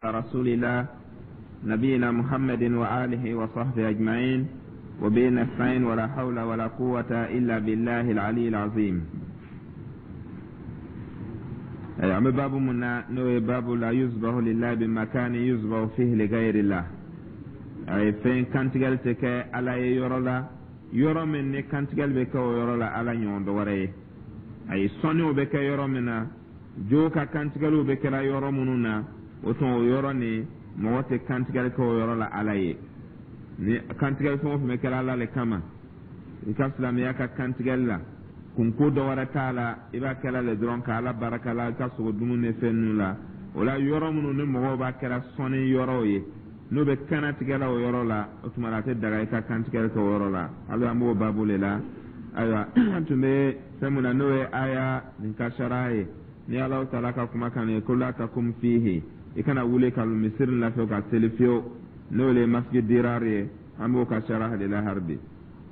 رسول الله نبينا محمد وآله وصحبه أجمعين وبه نستعين ولا حول ولا قوة إلا بالله العلي العظيم. An bɛ babu mun na, n'o ye babu la yuzbahu lillahi bi makani yuzbahu fihi li ghayrillah. A ye fɛn kantigɛli tɛ kɛ Ala ye yɔrɔ la, yɔrɔ min ni kantigɛli bɛ kɛ o yɔrɔ la Ala ɲɔgɔn dɔ wɛrɛ ye. A ye sɔnniw bɛ kɛ yɔrɔ min na, jo ka kantigɛliw bɛ kɛra yɔrɔ minnu na, o tuma o yɔrɔ nin, mɔgɔ tɛ kantigɛli kɛ o yɔrɔ la Ala ye. Ni kantigɛli fɛn o fɛn bɛ kɛra Ala le kama, i ka silamɛya ka kantigɛli la, kunko dɔ wɛrɛ t'a la, i b'a kɛla le dɔrɔn ka Ala barika la i ka sogo dumuni ni fɛn ninnu la. O la, yɔrɔ minnu ni mɔgɔw b'a kɛra sɔnni yɔrɔw ye, n'o bɛ kannatigɛla o yɔrɔ la, o tuma a tɛ daga i ka kantigɛli kɛ o yɔrɔ la. Hali an b'o baabu le la. Ayiwa, an tun bɛ fɛn mun na, n'o ye aya nin ka sariya ye, ni Alahu taala ka kumakan ye ko la takum fihi, i kana wuli ka misiri la ka seli fiyewu, n'o le ye masjid dirar ye. An b'o ka sariya de la hali bi.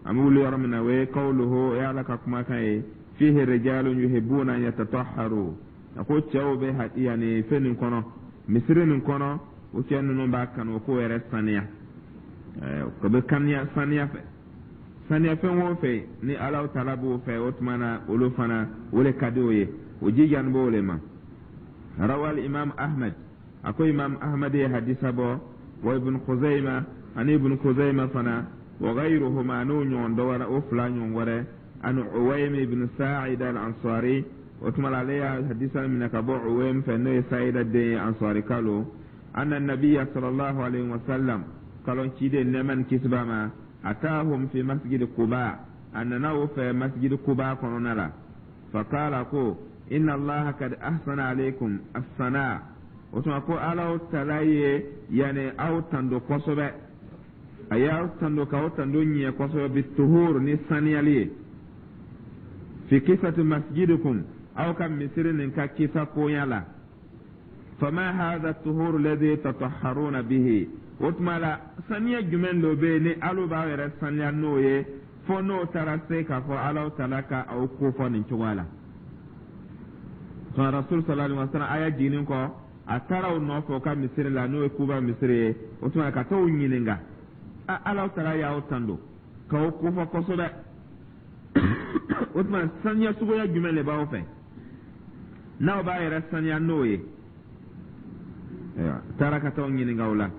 An bɛ wuli yɔrɔ min na, o ye kawluhu, o ye Ala ka kumakan ye, fihi rijalun yuhibbuna an yatatahharu. A ko cɛw bɛ yanni fɛn nin kɔnɔ, misiri nin kɔnɔ, o cɛ ninnu b'a kanu k'o yɛrɛ saniya, o bɛ kaniya saniya fɛ. Saniya fɛn o fɛn ni Ala taala b'o fɛ, o tuma na olu fana, o le ka di o ye, o jijani b'o le ma. Rawal Imam Ahmed, a ko Imam Ahmed ye hadisa bɔ, wa Ibn Khuzaima, ani Ibn Khuzaima fana, wa ghayruhuma, n'o ɲɔgɔn dɔ wɛrɛ, o fila ɲɔgɔn wɛrɛ, an Uwaym ibn Sa'id al-Ansari. O tuma la, ale y'a hadisa minɛ ka bɔ Uwaym fɛ, n'o ye Sa'ida den ye, Ansari kalo, anna nabiyya sallallahu alayhi wa sallam, kalon ciden, nɛɛma ni kisi b'a ma, atahum fi masjid Quba, a nana o fɛ masjid Quba kɔnɔna la. Faqala, ko inna Allaha kad ahsana alaykum as-sana. O tuma ko Ala tala ye yani aw tando kosɛbɛ, a y'aw tando k'aw tando ɲɛ kosɛbɛ, bi tuhur, ni saniyali ye, fi kisati masjidikum, aw ka misiri nin ka kisa koɲa la. Fama hadha tuhur alladhi tatahharuna bihi? O tuma la, saniya jumɛn dɔ bɛ yen ni alu b'aw yɛrɛ saniya n'o ye, fo n'o taara se k'a fɔ Ala tala ka aw ko fɔ nin cogoya la? Sɔn Rasul sallallahu alaihi wa sallam, aya jiginnin kɔ, a taara o nɔfɛ o ka misiri la, n'o ye Kuba misiri ye. O tuma ka t'o ɲininka: a Ala taala y'aw tando k'aw kofɔ kosɛbɛ, o tuma saniya suguya jumɛn de b'aw fɛ n'aw b'a yɛrɛ saniya n'o ye? Ayiwa, taara ka t'aw ɲininka o la.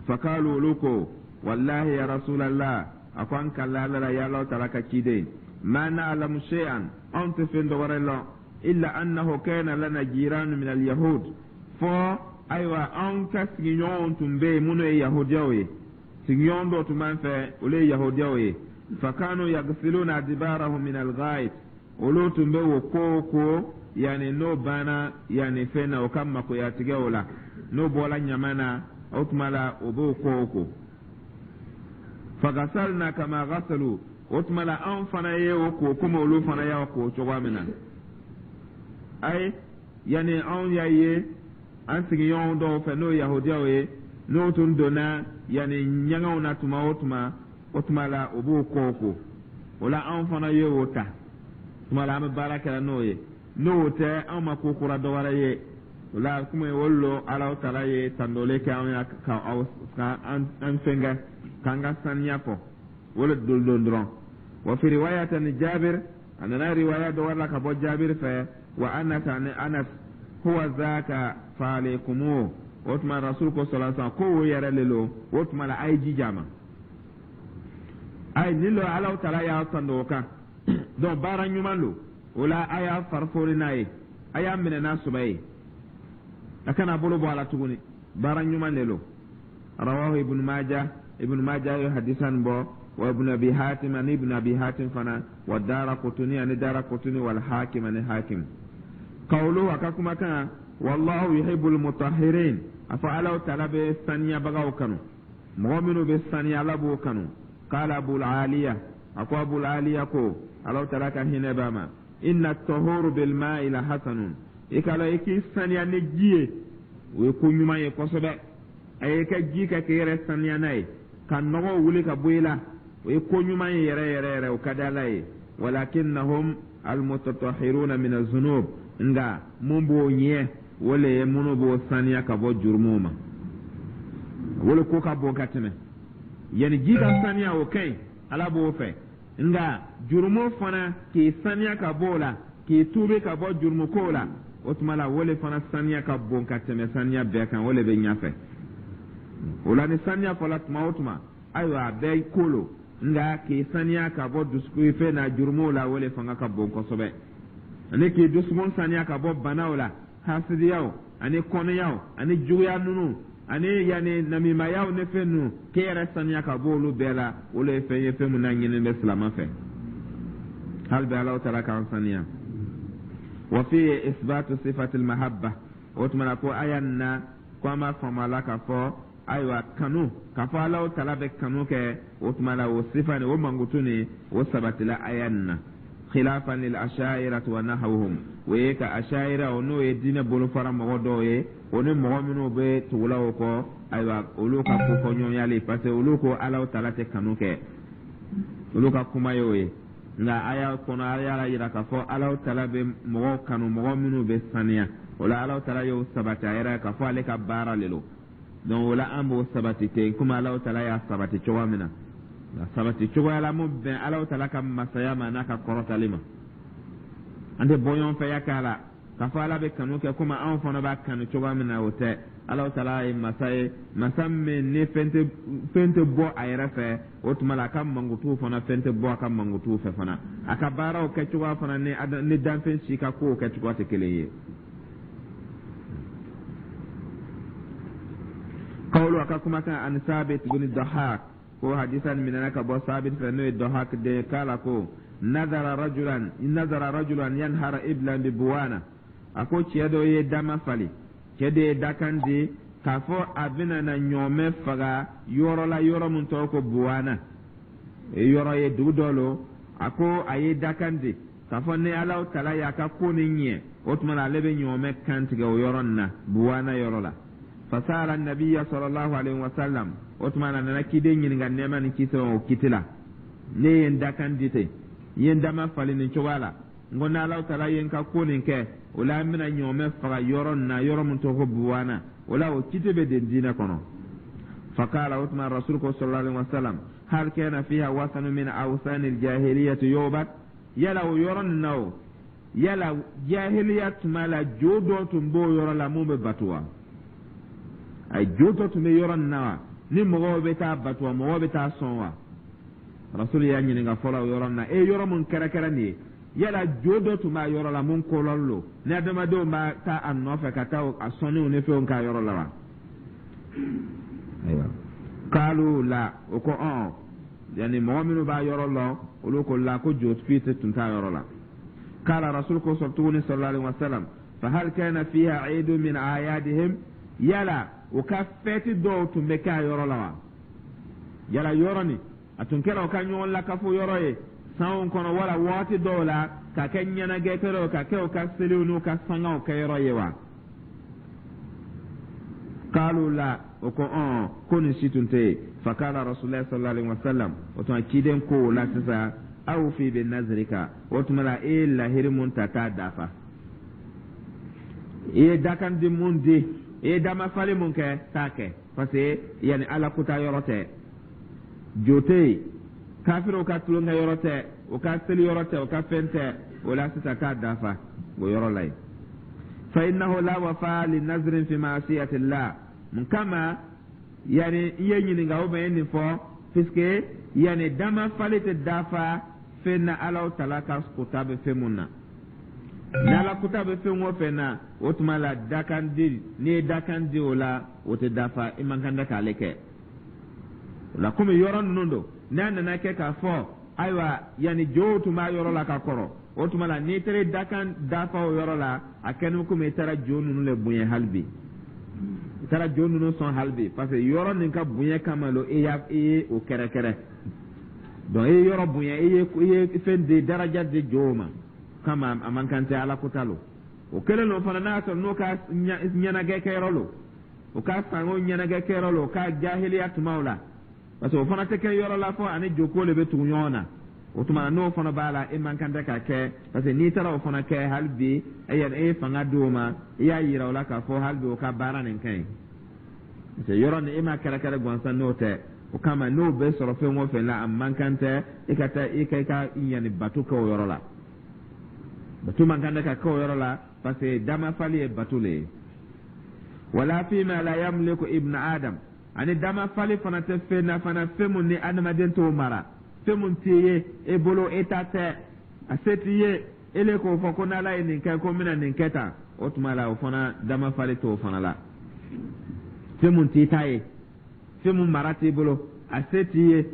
Fakalu, olu ko: wallahi ya Rasulallah, a ko an kala Ala la, ya Ala taala ka ciden, ma na'lamu shay'an, anw tɛ fɛn dɔ wɛrɛ lɔn, illa annahu kana lana jiranu min al-yahud. Fɔ ayiwa, anw ka sigiɲɔgɔnw tun bɛ yen minnu ye yahudiyaw ye, sigiɲɔgɔn dɔw tun b'an fɛ, olu ye yahudiyaw ye. Fakanu yagsiluna adbarahum min al-ghait, olu tun bɛ o ko yanni n'o banna yanni fɛn na, o ka makoyatigɛw la, n'o bɔra ɲama na, o tuma la o b'o ko fagasalna kama gasalu. O tuma la, anw fana ye o ko komi olu fana y'a ko cogoya min na. Ayi, yanni anw y'a ye an sigiɲɔgɔn dɔw fɛ, n'o ye yahudiyaw ye, n'o tun donna yanni ɲɛgɛnw na tuma o tuma, o tuma la o b'o ko o la, anw fana ye o ta. Tuma la an bɛ baara kɛra n'o ye, n'o tɛ anw ma ko kura dɔ wɛrɛ ye. O la, komi olu lo Ala taala ye tandole kɛ anw ya ka aw ka an fɛnkɛ k'an ka saniya fɔ, o le don dɔrɔn. Wa fi riwayatan Jabir, a nana riwaya dɔ wɛrɛ la ka bɔ Jabir fɛ, wa Anas, ani Anas, huwa zaka fa alaykumu. O tuma Rasul ko sallallahu alaihi wasallam ko o yɛrɛ le lo. O tuma la, a ye jija ma, ayi nin lo Ala taala y'a tando o kan. Donc baara ɲuman lo. O la, a y'a farifori n'a ye, a y'a minɛ n'a sɔbɛ ye, a kana bolo bɔ a la tuguni, baara ɲuman de lo. Rawahu Ibn Majah, Ibn Majah ye hadisan bɔ, wa Ibn Abi Hatim, ani Ibn Abi Hatim fana, wa Dara Kutuni, ani Dara Kutuni, wal Hakim, ani Hakim. Qawluhu, a ka kumakan, wallahu yuhibbul mutahhirin, a fɔ Ala taala bɛ saniyabagaw kanu, mɔgɔ minnu bɛ saniya, Ala b'o kanu. Qala Abul Aliya, a ko Abul Aliya ko, Ala taala ka hinɛ b'a ma, inna tahuru bil ma'i la hasanun. I ka la i k'i saniya ni ji ye, o ye ko ɲuman ye kosɛbɛ. A ye ka ji kɛ k'i yɛrɛ saniya n'a ye, ka nɔgɔw wuli ka bɔ i la, o ye ko ɲuman ye yɛrɛ yɛrɛ yɛrɛ, o ka di Ala ye. Walakinnahum almutatahhiruna min azunub, nka mun b'o ɲɛ, O le ye minnu b'o saniya ka bɔ jurumuw ma, o le ko ka bon ka tɛmɛ. Yanni ji ka saniya, o ka ɲi, Ala b'o fɛ, nka jurumu fana, k'i saniya ka bɔ o la, k'i tuubi ka bɔ jurumu kow la, o tuma la, o le fana saniya ka bon ka tɛmɛ saniya bɛɛ kan, o le bɛ ɲɛfɛ. O la, ni saniya fɔla tuma o tuma, ayiwa, a bɛɛ ko lo, nka k'i saniya ka bɔ dusukun fɛn na, jurumuw la, o le fanga ka bon kosɛbɛ, ani k'i dusukun saniya ka bɔ banaw la, hasidiyaw ani kɔnɔyaw ani juguya ninnu ani yanni namimayaw ni fɛn ninnu, k'e yɛrɛ saniya ka bɔ olu bɛɛ la, olu ye fɛn ye, fɛn min n'a ɲininen bɛ silama fɛ. Hali bi Alahu taala k'an saniya. Wa fi isbatu sifatil mahabba. O tuma na ko aya nin na, ko an b'a faamu a la k'a fɔ, ayiwa, kanu, k'a fɔ Alahu taala bɛ kanu kɛ, o tuma la, o sifa nin, o mankutu nin, o sabatila aya nin na, khilafan lil ashairati wa nahawhum. O ye ka ashaira, o n'o ye diinɛ bolofara mɔgɔ dɔw ye, o ni mɔgɔ minnu bɛ tugula o kɔ, ayiwa, olu ka kofɔɲɔgɔnyali, parce que olu ko Alahu taala tɛ kanu kɛ, olu ka kuma ye o ye. Nka aya kɔnɔ, ala y'a yira k'a fɔ Alahu taala bɛ mɔgɔw kanu, mɔgɔ minnu bɛ saniya. O la, Alahu taala y'o sabati a yɛrɛ k'a fɔ ale ka baara le lo. Donc o la, an b'o sabati ten, komi Alahu taala y'a sabati cogoya min na, a sabati cogoya la mun bɛn Alahu taala ka masaya ma n'a ka kɔrɔtali ma. An tɛ bɔɲɔgɔnfɛya k'a la k'a fɔ Ala bɛ kanu kɛ komi anw fana b'a kanu cogoya min na, o tɛ. Alahu taala ye masa ye, masa min ni fɛn tɛ bɔ a yɛrɛ fɛ. O tuma la, a ka mankutuw fana, fɛn tɛ bɔ a ka mankutuw fɛ fana. A ka baaraw kɛcogoya fana ni danfɛn si ka kow kɛcogoya tɛ kelen ye. Kawulu, a ka kumakan, an Sabit bin Dahak, ko hadisa nin minɛna ka bɔ Sabit fɛ, n'o ye Dahak den ye, k'ala ko nazara rajulan yanhara iblan bi Buwana. A ko cɛ dɔ ye dama fali, cɛ de ye dakan di k'a fɔ a bɛna na ɲɔɔmɛ faga yɔrɔ la, yɔrɔ min tɔgɔ ko Buwana, yɔrɔ ye, dugu dɔ lo. A ko a ye dakan di k'a fɔ ni Alahu taala y'a ka ko nin ɲɛ, o tuma na, ale bɛ ɲɔɔmɛ kan tigɛ o yɔrɔ nin na, Buwana yɔrɔ la. Fasala nabiya sallallahu alaihi wasallam. O tuma na, a nana ciden ɲininka, nɛɛma ni kisi, o kiti la. Ne ye n dakan di ten, n ye n dama fali nin cogoya la, n ko n'Alahu taala ye n ka ko nin kɛ, o la n bɛna ɲɔɔmɛ faga yɔrɔ nin na, yɔrɔ min tɔgɔ ko Buwana. O la, o kiti bɛ den diinɛ kɔnɔ. Fakala, o tuma rasul ko sallallahu alaihi wasallam: hal kana fiha wasanu min awsani aljahiliyati yu'bad? Yala o yɔrɔ nin na, o yala jahiliya tuma la, jo dɔ tun b'o yɔrɔ la mun bɛ batu wa? A jo dɔ tun bɛ yɔrɔ nin na wa, ni mɔgɔw bɛ taa batu wa, mɔgɔw bɛ taa sɔn wa? Rasul y'a ɲininka fɔlɔ o yɔrɔ nin na. E, yɔrɔ mun kɛrɛkɛrɛ nin ye, yala jo dɔ tun b'a yɔrɔ la mun kolɔli lo, ni adamadenw b'a taa a nɔfɛ ka taa a sɔnniw ni fɛnw k'a yɔrɔ la wa? Ayiwa, kaalu la, o ko ɔn, yanni mɔgɔ minnu b'a yɔrɔ lɔn, olu ko la, ko jo foyi tun t'a yɔrɔ la. Kala, rasul ko sɔrɔ tuguni sallallahu alaihi wasallam: fa hal kana fiha eidu min ayadihim? Yala u ka fɛti dɔw tun bɛ kɛ a yɔrɔ la wa? Yala yɔrɔ nin, a tun kɛra u ka ɲɔgɔn lakafo yɔrɔ ye sanw kɔnɔ, wala waati dɔw la ka kɛ ɲɛnajɛ kɛyɔrɔ, ka kɛ u ka seliw n'u ka sangaw kɛyɔrɔ ye wa? Kalu la, o ko ɔn, ko nin si tun tɛ yen. Fakala rasulillah sallallahu alaihi wasallam, o tuma ciden ko o la sisan: awfi bi nazrika. O tuma la, e ye lahiri mun ta, k'a dafa. I ye dakan di mun di, i ye damafali mun kɛ, k'a kɛ, parce que yanni Ala kuta yɔrɔ tɛ, jo tɛ yen, kafiriw ka tulonkɛ yɔrɔ tɛ, o ka seli yɔrɔ tɛ, o ka fɛn tɛ. O la sisan, k'a dafa o yɔrɔ la yen. Fa innahu la wafa li nazrin fi ma'siyatillah. Mun kama yani i ye ɲininka o bɛ nin fɔ? Puisque yani damafali tɛ dafa fɛn na Alaw tala ka kuta bɛ fɛn mun na. Ni Ala kuta bɛ fɛn o fɛn na, o tuma la, dakan di, n'i ye dakan di o la, o tɛ dafa, i man kan tɛ k'ale kɛ. O la, komi yɔrɔ ninnu don, n'a nana kɛ k'a fɔ, ayiwa, yanni jow tun b'a yɔrɔ la ka kɔrɔ, o tuma la, n'i taara dakan dafa o yɔrɔ la, a kɛni komi i taara jo ninnu le bonya hali bi, i taara jo ninnu sɔn hali bi, parce que yɔrɔ nin ka bonya kama lo i y'a i ye o kɛrɛkɛrɛ. Donc i ye yɔrɔ bonya, i ye fɛn di, daraja di jow ma kama, a man kan tɛ, Ala kota lo. O kɛlen lo fana, n'a y'a sɔrɔ n'o ka ɲɛnajɛ kɛyɔrɔ lo, o ka sango ɲɛnajɛ kɛyɔrɔ lo, o ka jahiliya tumaw la, parce que o fana tɛ kɛ yɔrɔ la fɔ ani joko le bɛ tugu ɲɔgɔn na. O tuma n'o fana b'a la, e man kan tɛ k'a kɛ, parce que n'i taara o fana kɛ, hali bi e yɛrɛ e ye fanga di o ma, i y'a yira o la k'a fɔ hali bi o ka baara nin ka ɲi, parce que yɔrɔ nin e ma kɛrɛkɛrɛ gansan n'o tɛ. O kama n'o bɛ sɔrɔ fɛn o fɛn la, a man kan tɛ e ka taa i ka i ka ɲani bato kɛ o yɔrɔ la. Bato man kan tɛ ka kɛ o yɔrɔ la, parce que damafali ye bato le ye. Wala fima la yamliku ibn Adam, ani damafali fana tɛ fɛn na fana, fɛn mun ni adamaden t'o mara, fɛn mun t'i ye e bolo, e ta tɛ, a se t'i ye, e le k'o fɔ ko n'Ala ye nin kɛ, ko n bɛna nin kɛ tan. O tuma la, o fana damafali t'o fana la. Fɛn mun t'i ta ye, fɛn mun mara t'i bolo, a se t'i ye,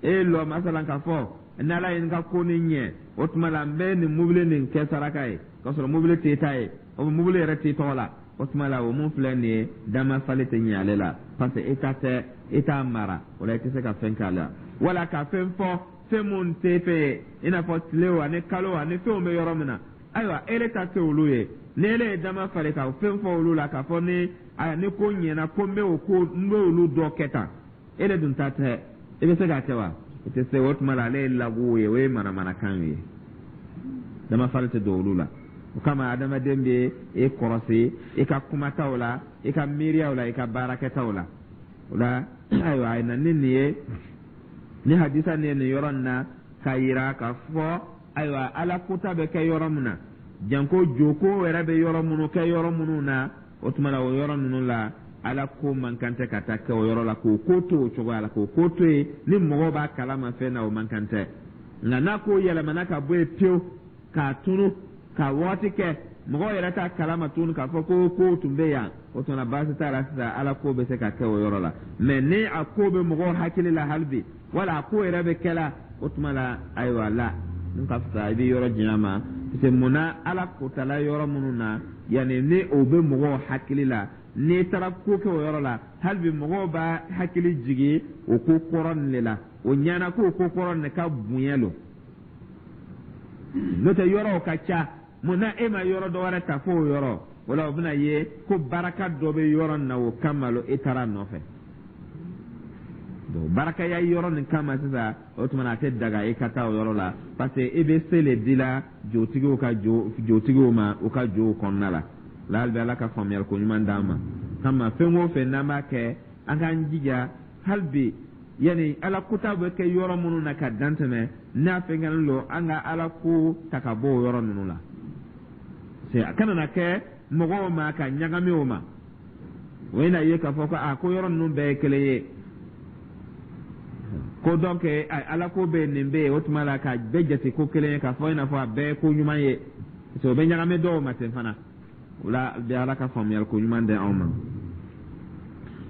e lɔ masalan k'a fɔ n'Ala ye n ka ko nin ɲɛ, o tuma la n bɛ nin mobili nin kɛ saraka ye, k'a sɔrɔ mobili t'e ta ye, o mobili yɛrɛ t'i tɔgɔ la. O tuma la, o mun filɛ nin ye, damafali tɛ ɲɛ ale la, parce que e ta tɛ, e t'a mara, o la i tɛ se ka fɛn k'a la wala ka fɛn fɔ fɛn mun tɛ fɛ ye, i n'a fɔ tile o ani kalo ani fɛnw bɛ yɔrɔ min na. Ayiwa, e ta tɛ olu ye. Ni ele ye dama falen ka fɛn fɔ olu la k'a fɔ ni ayiwa ni ko ɲɛna, ko n bɛ o ko n bɛ olu dɔ kɛ tan, e de dun ta tɛ, i bɛ se k'a kɛ wa? I tɛ se. O tuma la, ale ye lagow ye, o ye manamanakan ye, damafali tɛ don olu la. O kama adamaden bɛ e kɔrɔsi i ka kumataw la, i ka miiriyaw la, i ka baarakɛtaw la. O la, ayiwa, a na ni nin ye, ni hadisa nin ye nin yɔrɔ nin na k'a yira k'a fɔ ayiwa, Ala kota bɛ kɛ yɔrɔ min na, janko joko yɛrɛ bɛ yɔrɔ minnu kɛ yɔrɔ minnu na, o tuma la o yɔrɔ ninnu la, Ala ko man kan tɛ ka taa kɛ o yɔrɔ la, k'o ko to o cogoya la, k'o ko to yen ni mɔgɔw b'a kalama fɛn na, o man kan tɛ. Nka n'a ko yɛlɛmana ka bɔ yen pewu k'a tunu ka waati kɛ, mɔgɔw yɛrɛ t'a kalama tuguni k'a fɔ ko kow tun bɛ yan, o tuma baasi t'a la sisan, Ala ko bɛ se ka kɛ o yɔrɔ la. Mɛ ni a ko bɛ mɔgɔw hakili la hali bi, wala a ko yɛrɛ bɛ kɛla, o tuma la, ayiwa, la n ka fisa i bɛ yɔrɔ janya ma, parce que munna Ala kotala yɔrɔ minnu na, yanni ni o bɛ mɔgɔw hakili la, n'i taara ko kɛ o yɔrɔ la, hali bi mɔgɔw b'a hakili jigin o ko kɔrɔ nin de la, o ɲɛna ko o ko kɔrɔ nin ka bonya lo. N'o tɛ, yɔrɔw ka ca, mun na e ma yɔrɔ dɔ wɛrɛ ta fo o yɔrɔ? O la, o bɛna ye ko baraka dɔ bɛ yɔrɔ nin na, o kama lo e taara a nɔfɛ. Donc barakaya yɔrɔ nin kama sisan, o tuma na a tɛ daga e ka taa o yɔrɔ la, parce que e bɛ se le dila jotigiw ka jo jotigiw ma u ka jow kɔnɔna la. La hali bi Ala ka faamuyali ko ɲuman d'an ma. Kama fɛn o fɛn n'an b'a kɛ, an k'an jija hali bi, yanni Ala kota bɛ kɛ yɔrɔ minnu na ka dan tɛmɛ n'a fɛn lo, an ka Ala ko ta ka bɔ o yɔrɔ ninnu la, c'est a kana na kɛ mɔgɔw ma ka ɲagami o ma. O ye na ye k'a fɔ ko a ko yɔrɔ ninnu bɛɛ ye kelen ye, ko donc Ala ko bɛ nin bɛ yen, o tuma la ka bɛɛ jate ko kelen ye, k'a fɔ i n'a fɔ a bɛɛ ye ko ɲuman ye, parce que o bɛ ɲagami dɔw ma ten fana. O la bɛ Ala ka faamuyali ko ɲuman di anw ma.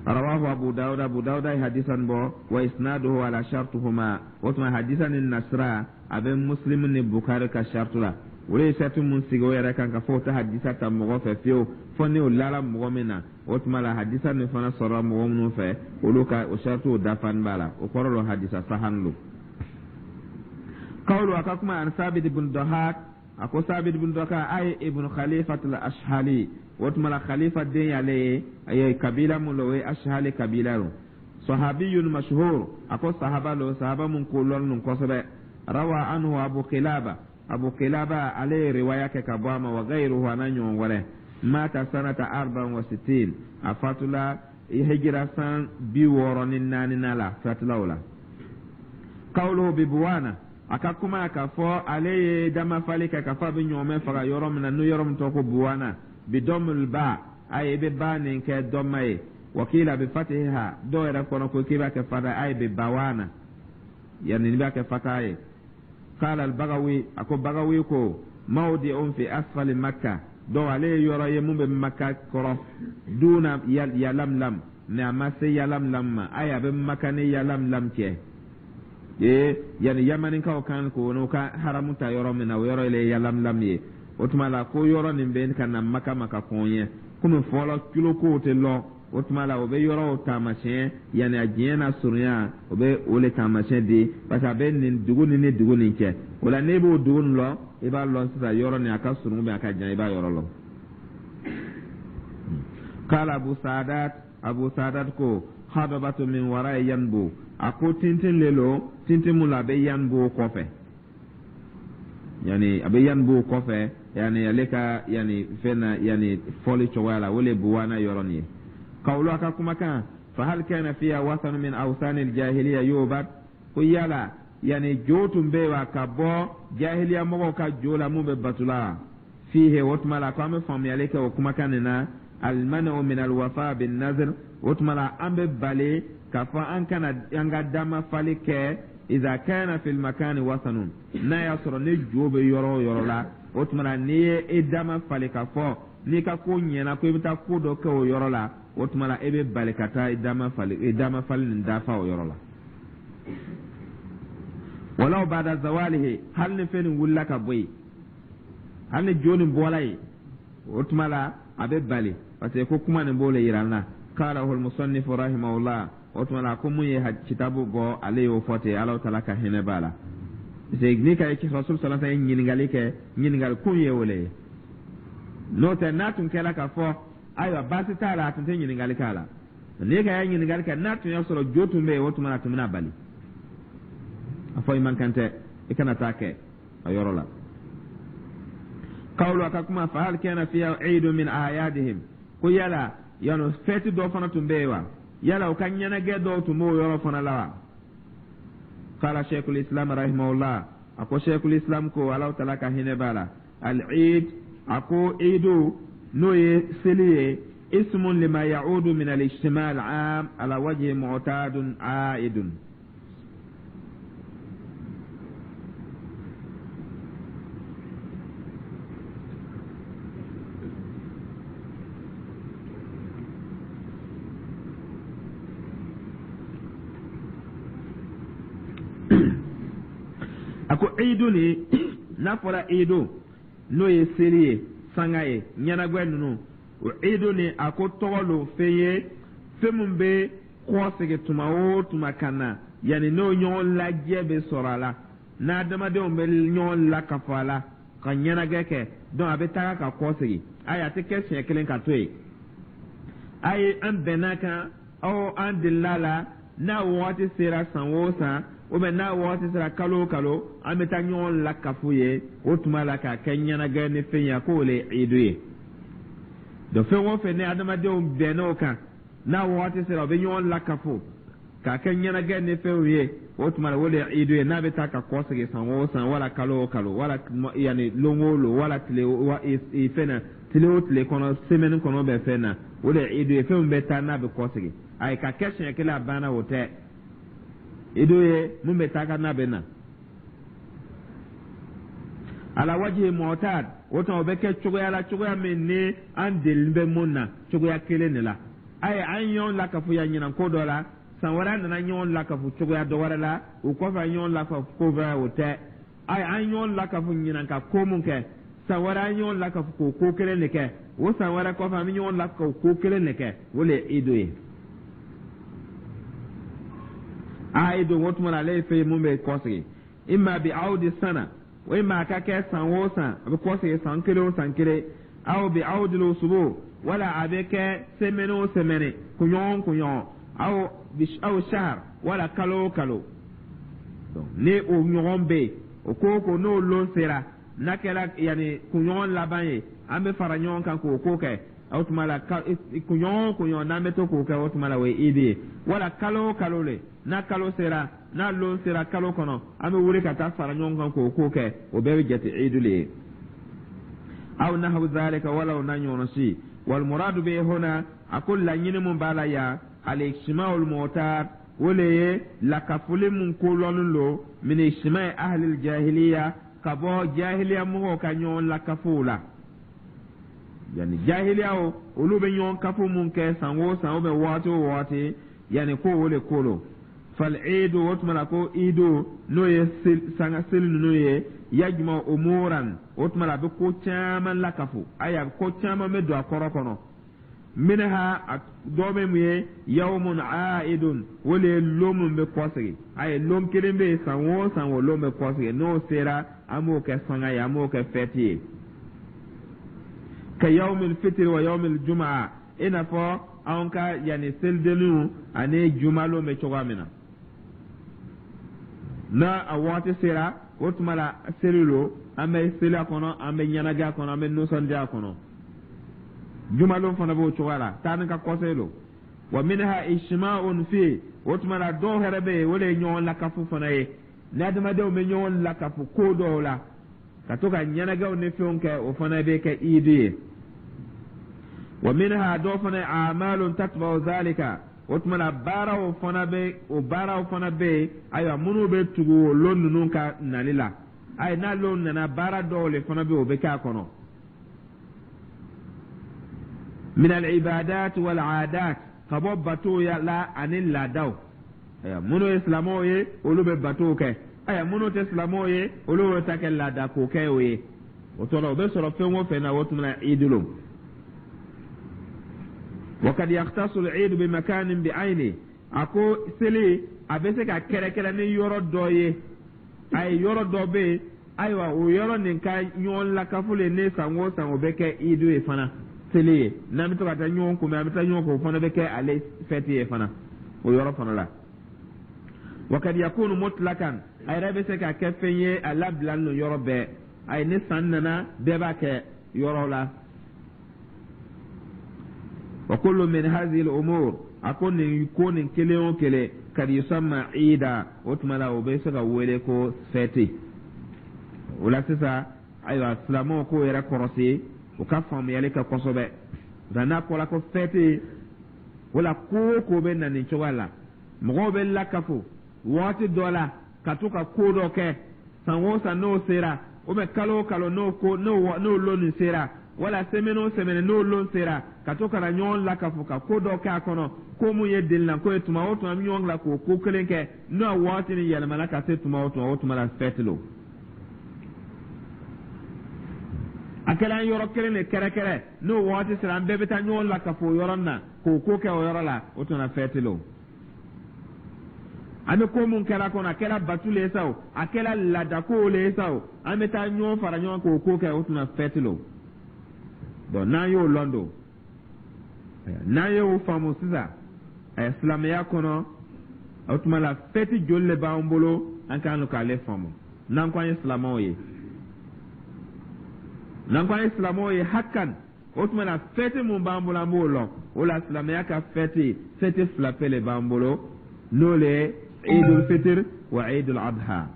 Rawahu Abu Dawud, Abu Dawud ye hadisan bɔ. Wa isnaduhu ala shartuhuma, o tuma hadisa ni nasira a bɛ Muslim ni Bukhari ka shartu la. O ye sartu mun sigi o yɛrɛ kan k'a fɔ o tɛ hadisa ta mɔgɔ fɛ fiyewu fɔ ni o lala mɔgɔ min na. O tuma la, hadisa nin fana sɔrɔla mɔgɔ minnu fɛ, olu ka o sartu dafani b'a la, o kɔrɔ lo hadisa sahan lo. Kawulu, a ka kuma, an Sabit ibn Dahak, a ko Sabit ibn Dahak ay ibn Khalifatul Ashhali, o tuma la Khalifa den y'ale ye, a ye kabila mun lo, o ye Ashhali kabila lo. Sahabiyun mashhur, a ko sahaba lo, sahaba mun ko lɔn nun kosɛbɛ. Rawa anhu Abu Kilaba, Abu Kilaba ale ye riwaya kɛ ka bɔ a ma, wa gayruhu, a n'a ɲɔgɔn wɛrɛ. Mata sanata 64, a fatula hijira san 64nan la, fatula o la. Kawluhu bi Buwana, a ka kuma k'a fɔ ale ye damafali kɛ k'a fɔ a bɛ ɲɔgɔmɛ faga yɔrɔ min na, n'o yɔrɔ min tɔgɔ ko Buwana, bi dɔmul ba, a ye i bɛ ba nin kɛ dɔma ye, wakila bi fatiha, dɔw yɛrɛ kɔnɔ ko k'i b'a kɛ fata, a ye bi Bawana, yanni n'i b'a kɛ fata ye. Qala al-Bagawi, a ko Bagawi ko mawdi'un fi asfali Makka, donc ale ye yɔrɔ ye mun bɛ Makka kɔrɔ, duna Yalamlam, mais a ma se Yalamlam ma, ayi, a bɛ Makka ni Yalamlam cɛ ee, yanni Yamanikaw kan k'o n'u ka haramu ta yɔrɔ min na, o yɔrɔ ye Yalamlam ye. O tuma la, ko yɔrɔ nin bɛ ka na Maka ma ka kɔn ɲɛ, komi fɔlɔ kilo kow tɛ lɔn, o tuma la o bɛ yɔrɔw taamasiyɛn, yanni a diɲɛ na surunya, o bɛ o le taamasiyɛn di, parce que a bɛ nin dugu nin ni dugu nin cɛ. O la, n'e b'o dugu nin lɔn, i b'a lɔn sisan yɔrɔ nin a ka surun bɛ a ka jan, i b'a yɔrɔ lɔn. Kala Abu Sadat, Abu Sadat ko hadabatu min wara Yanbu, a ko tintin le lo, tintin mun la a bɛ Yanbu kɔfɛ. Yani a bɛ yanbu kɔfɛ, yani ale ka yani fɛn na, yani fɔli cogoya la, o le buwana yɔrɔ nin ye. Kawulu, a ka kumakan, fa hal kana fiha wasanu min awsani aljahiliya yubad? Ko yala yani jo tun bɛ yen wa, ka bɔ jahiliya mɔgɔw ka jo la mun bɛ batula? Fihe, o tuma la ko an bɛ faamuyali kɛ o kumakan nin na, almanu min alwafa bin nazr. O tuma la an bɛ bali k'a fɔ an kana an ka dama fali kɛ, iza kana fil makani wasanun, n'a y'a sɔrɔ ni jo bɛ yɔrɔ o yɔrɔ la. O tuma la n'i ye e dama fali k'a fɔ n'i ka ko ɲɛna ko i bɛ taa ko dɔ kɛ o yɔrɔ la, o tuma la e bɛ bali ka taa i dama fali nin dafa o yɔrɔ la, walaw bada zawalihi, hali ni fɛn nin wulila ka bɔ yen, hali ni jo nin bɔra yen, o tuma la a bɛ bali, parce que ko kuma nin b'o le yira an na. Qalahu almusannifu rahimahullah. O tuma la ko mun ye kitabu bɔ, ale y'o fɔ ten, Ala taala ka hinɛ b'a la, parce que ni ka Rasul sallallahu alaihi wasallam ɲininkali kɛ, ɲininkali kun ye o le ye. N'o tɛ, n'a tun kɛra k'a fɔ ayiwa baasi t'a la, a tun tɛ ɲininkali k'a la. N'i ka y'a ɲininkali kɛ, n'a tun y'a sɔrɔ jo tun bɛ yen, o tuma la a tun bɛna bali a fɔ i man kan tɛ, i kana taa kɛ a yɔrɔ la. Kawulu, a ka kuma, fa hal kana fiha eidu min a'yadihim? Ko yala yano fɛti dɔ fana tun bɛ yen wa? Yala u ka ɲɛnajɛ dɔw tun b'o yɔrɔ fana la wa? Qala sheikhul islam rahimahullah, a ko sheikhul islam ko, Ala taala ka hinɛ b'a la, al-eid, a ko eidu n'o ye seli ye, ismun lima ya'udu min al-ijtima' al-'am ala wajhi mu'tadun 'aidun. A ko idu ni n'a fɔra idu, n'o ye seli ye, sanga ye, ɲɛnagwɛ ninnu, o idu ni, a ko tɔgɔ lo, fɛn ye, fɛn min bɛ kɔsegin tuma o tuma ka na, yanni n'o ɲɔgɔn lajɛ bɛ sɔrɔ a la, n'adamadenw bɛ ɲɔgɔn lakafo a la ka ɲɛnagɛ kɛ. Donc a bɛ taga ka kɔsegin. Ayi, a tɛ kɛ siɲɛ kelen ka to yen. Ayi, an bɛnna kan aw an delila la, n'a wagati sera san o san, ou bien n'a wagati sera kalo o kalo, an bɛ taa ɲɔgɔn lakafu ye. O tuma la k'a kɛ ɲɛnagɛ ni fɛn ye, a k'o le ye idu ye. Donc fɛn o fɛn ni adamadenw bɛnn'o kan, n'a wagati sera, u bɛ ɲɔgɔn lakafo k'a kɛ ɲɛnagɛ ni fɛnw ye, o tuma la o de ye idu ye, n'a bɛ taa ka kɔsegin san o san, wala kalo o kalo, wala yanni lon o lon, wala tile wa fɛn na, tile o tile kɔnɔ, semaine kɔnɔ bɛ fɛn na, o de ye idu ye, fɛn min bɛ taa n'a bɛ kɔsegin. Ayi, ka kɛ siɲɛ kelen a banna, o tɛ idu ye, mun bɛ taa ka n'a bɛ na ala wajihi mu'tad. O tuma o bɛ kɛ cogoya la, cogoya min ni an delilen bɛ mun na, cogoya kelen de la. Ayi, an ye ɲɔgɔn lakafu yan ɲinan ko dɔ la, san wɛrɛ an nana ɲɔgɔn lakafu cogoya dɔ wɛrɛ la, o kɔfɛ an ɲɔgɔn lakafu ko wɛrɛ, o tɛ. Ayi, an ye ɲɔgɔn lakafu ɲinan ka ko mun kɛ, san wɛrɛ an ye ɲɔgɔn lakafu k'o ko kelen de kɛ, o san wɛrɛ kɔfɛ an bɛ ɲɔgɔn lakafu ko kelen de kɛ, o de ye idu ye. Ayidu, o tuma na ale ye fɛn ye mun bɛ kɔsegin, imma bi awdi sana, o imma a ka kɛ san o san, a bɛ kɔsegin san kelen o san kelen, aw bi awdil usubu, wala a bɛ kɛ semaine o semaine, kunɲɔgɔn o kunɲɔgɔn, aw shahar, wala kalo o kalo. Ni o ɲɔgɔn bɛ yen, o ko o ko n'o lon sera, n'a kɛra yanni kunɲɔgɔn laban ye, an bɛ fara ɲɔgɔn kan k'o ko kɛ. O tuma la kunɲɔgɔn o kunɲɔgɔn n'an bɛ to k'o kɛ, o tuma la o ye idi ye. Wala kalo o kalo le, n'a kalo sera, n'a lon sera kalo kɔnɔ, an bɛ wuli ka taa fara ɲɔgɔn kan k'o ko kɛ, o bɛɛ bɛ jate idu le ye. Aw nahawu zalika, wala o n'a ɲɔgɔn si. Wal muradu bi huna, a ko laɲini mun b'a la yan, al-ijtima'ul mu'tad, o le ye lakafoli mun kolɔnnen lo, min ijtima'i ahlil jahiliya, ka bɔ jahiliya mɔgɔw ka ɲɔgɔn lakafow la. Yani jahiliya o, olu bɛ ɲɔgɔn kafo mun kɛ san o san, ou bien waati o waati, yani ko o le ko lo. Fal iidu, o tuma la ko iidu n'o ye sanga seli ninnu ye, yajma umuran, o tuma la a bɛ ko caman lakafo. Ayi, a bɛ ko caman bɛ don a kɔrɔ kɔnɔ. Minha, a dɔ bɛ mun ye, yawmun aidun, o le ye lon mun bɛ kɔsegin. Ayi, lon kelen bɛ yen san o san, o lon bɛ kɔsegin, n'o sera an b'o kɛ sanga ye, an b'o kɛ fɛti ye, ka yawmil fitiri wa yawmil jumaa, i n'a fɔ anw ka yanni selidenninw ani jumalon bɛ cogoya min na, n'a a waati sera. O tuma la, seli lo, an bɛ seli a kɔnɔ, an bɛ ɲɛnajɛ a kɔnɔ, an bɛ nisɔndiya a kɔnɔ. Jumalon fana b'o cogoya la, taa ni ka kɔse lo. Wa minha ijtima'un fi. O tuma la, dɔw yɛrɛ bɛ yen, o de ye ɲɔgɔn lakafu fana ye, ni adamadenw bɛ ɲɔgɔn lakafu ko dɔw la, ka to ka ɲɛnajɛw ni fɛnw kɛ, o fana bɛ kɛ idi ye. Wa minha, dɔw fana ye a'malun tatba'u zalika. O tuma na, baaraw fana bɛ, o baaraw fana bɛ yen, ayiwa, minnu bɛ tugu o lon ninnu ka nali la. Ayi, n'a lon nana, baara dɔw le fana bɛ yen, o bɛ kɛ a kɔnɔ. Min al-ibadat wal 'adat, ka bɔ batow la ani laadaw. Ayiwa, minnu ye silamɛw ye, olu bɛ batow kɛ. Ayiwa, minnu tɛ silamɛw ye, olu bɛ ta kɛ laada ko kɛ o ye. O tɔrɔ, o bɛ sɔrɔ fɛn o fɛn na, o tuma na, idi lo. Wa kad yakhtasu al-eid bi makanin bi ayni. A ko seli a bɛ se ka kɛrɛkɛrɛ ni yɔrɔ dɔ ye. A ye yɔrɔ dɔ bɛ yen, ayiwa, o yɔrɔ nin ka ɲɔgɔn lakafu le, ne san o san o bɛ kɛ idu ye fana, seli ye, n'an bɛ to ka taa ɲɔgɔn kunbɛn, an bɛ taa ɲɔgɔn fɛ, o fana bɛ kɛ ale fɛti ye fana, o yɔrɔ fana la. Wa kad yakunu mutlakan, a yɛrɛ bɛ se ka kɛ fɛn ye a labilalen don yɔrɔ bɛɛ. Ayi, ni san nana, bɛɛ b'a kɛ yɔrɔ la. Wa kullu min hadhihi al-umur, a ko nin ko nin kelen o kelen, kad yusamma ida, o tuma la, o bɛ se ka wele ko fɛti. O la sisan, ayiwa, silamɛw k'o yɛrɛ kɔrɔsi, u ka faamuyali kɛ kosɛbɛ. Nka n'a fɔra ko fɛti, o la, ko o ko bɛ na nin cogoya la, mɔgɔw bɛ lakafo waati dɔ la ka to ka ko dɔ kɛ san o san n'o sera, ou bien kalo o kalo n'o ko n'o lon nin sera, wala semaine o semaine n'o lon sera, ka to ka na ɲɔgɔn lakafo ka ko dɔ kɛ a kɔnɔ, ko mun ye delilanko ye, tuma o tuma an bɛ ɲɔgɔn bila k'o ko kelen kɛ, n'o waati nin yɛlɛmana ka se tuma o tuma, o tuma la, fɛti lo. A kɛra an yɔrɔ kelen de kɛrɛkɛrɛ, n'o waati sera, an bɛɛ bɛ taa ɲɔgɔn lakafo o yɔrɔ nin na k'o ko kɛ o yɔrɔ la, o tuma na, fɛti lo. An bɛ ko mun kɛra kɔnɔ, a kɛra batu le ye sa o, a kɛra laadako le ye sa o, an bɛ taa ɲɔgɔn fara ɲɔgɔn k'o ko kɛ, o tuma fɛti lo. Bon, n'an y'o lɔn don, n'an y'o faamu sisan, silamɛya kɔnɔ, o tuma la, fɛti joli le b'an bolo? An kan k'ale faamu. N'an ko an ye silamɛw ye, n'an ko an ye silamɛw ye hakan, o tuma na, fɛti mun b'an bolo, an b'o lɔn. O la, silamɛya ka fɛti, fɛti fila pe le b'an bolo, n'o le ye Eidul Fitr wa Eidul Adha,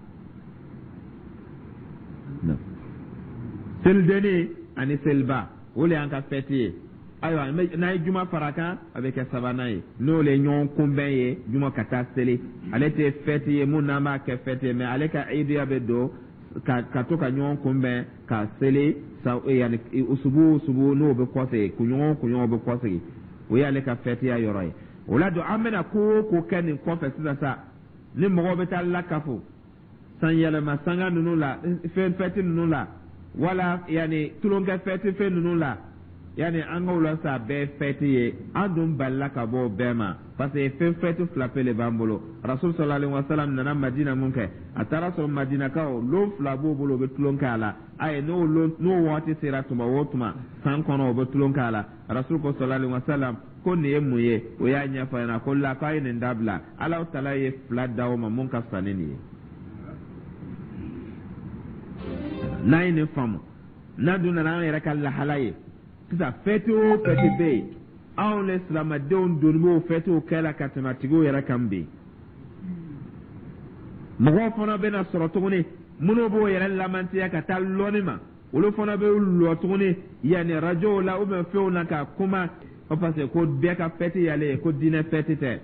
selidenni ani seliba, o le y'an ka fɛti ye. Ayiwa, n'a ye juma fara kan, a bɛ kɛ sabanan ye, n'o le ye ɲɔgɔn kunbɛn ye, juma ka taa seli. Ale tɛ fɛti ye mun n'an b'a kɛ fɛti ye, mais ale ka idiya bɛ don ka to ka ɲɔgɔn kunbɛn ka seli yanni usubu usubu n'o bɛ kɔsegin, kunɲɔgɔn o kunɲɔgɔn bɛ kɔsegin, o y'ale ka fɛtiya yɔrɔ ye. O la don, an bɛna ko o ko kɛ nin kɔfɛ sisan sa, ni mɔgɔw bɛ taa lakafo san yɛlɛma sanga ninnu la, fɛn fɛti ninnu la, wala yanni tulonkɛ fɛti fɛn ninnu la, yanni an k'o la sa, bɛɛ fɛti ye. An dun balila ka bɔ o bɛɛ ma, parce que fɛn fɛti fila pe le b'an bolo. Rasul sallallahu alaihi wasallam nana Madina mun kɛ, a taara sɔrɔ Madinakaw lon fila b'o bolo, u bɛ tulon kɛ a la. Ayi, n'o lon n'o waati sera tuma o tuma san kɔnɔ, u bɛ tulon kɛ a la. Rasul ko sallallahu alaihi wasallam ko nin ye mun ye? O y'a ɲɛfɔ a ɲɛna ko la, k'a ye nin dabila, Alahu taala ye fila d'aw ma mun ka fisa ni nin ye. N'an ye nin faamu, n'an dun nana an yɛrɛ ka lahala ye sisan, fɛti o fɛti bɛ yen, anw ni silamɛdenw doni b'o fɛtiw kɛ la ka tɛmɛ a tigiw yɛrɛ kan bi. Mɔgɔw fana bɛna sɔrɔ tuguni minnu b'o yɛrɛ lamantiya ka taa lɔnni ma, olu fana bɛ lɔ tuguni yanni rajow la ou bien fɛnw na ka kuma o, parce que ko bɛɛ ka fɛti y'ale ye, ko diinɛ fɛti tɛ.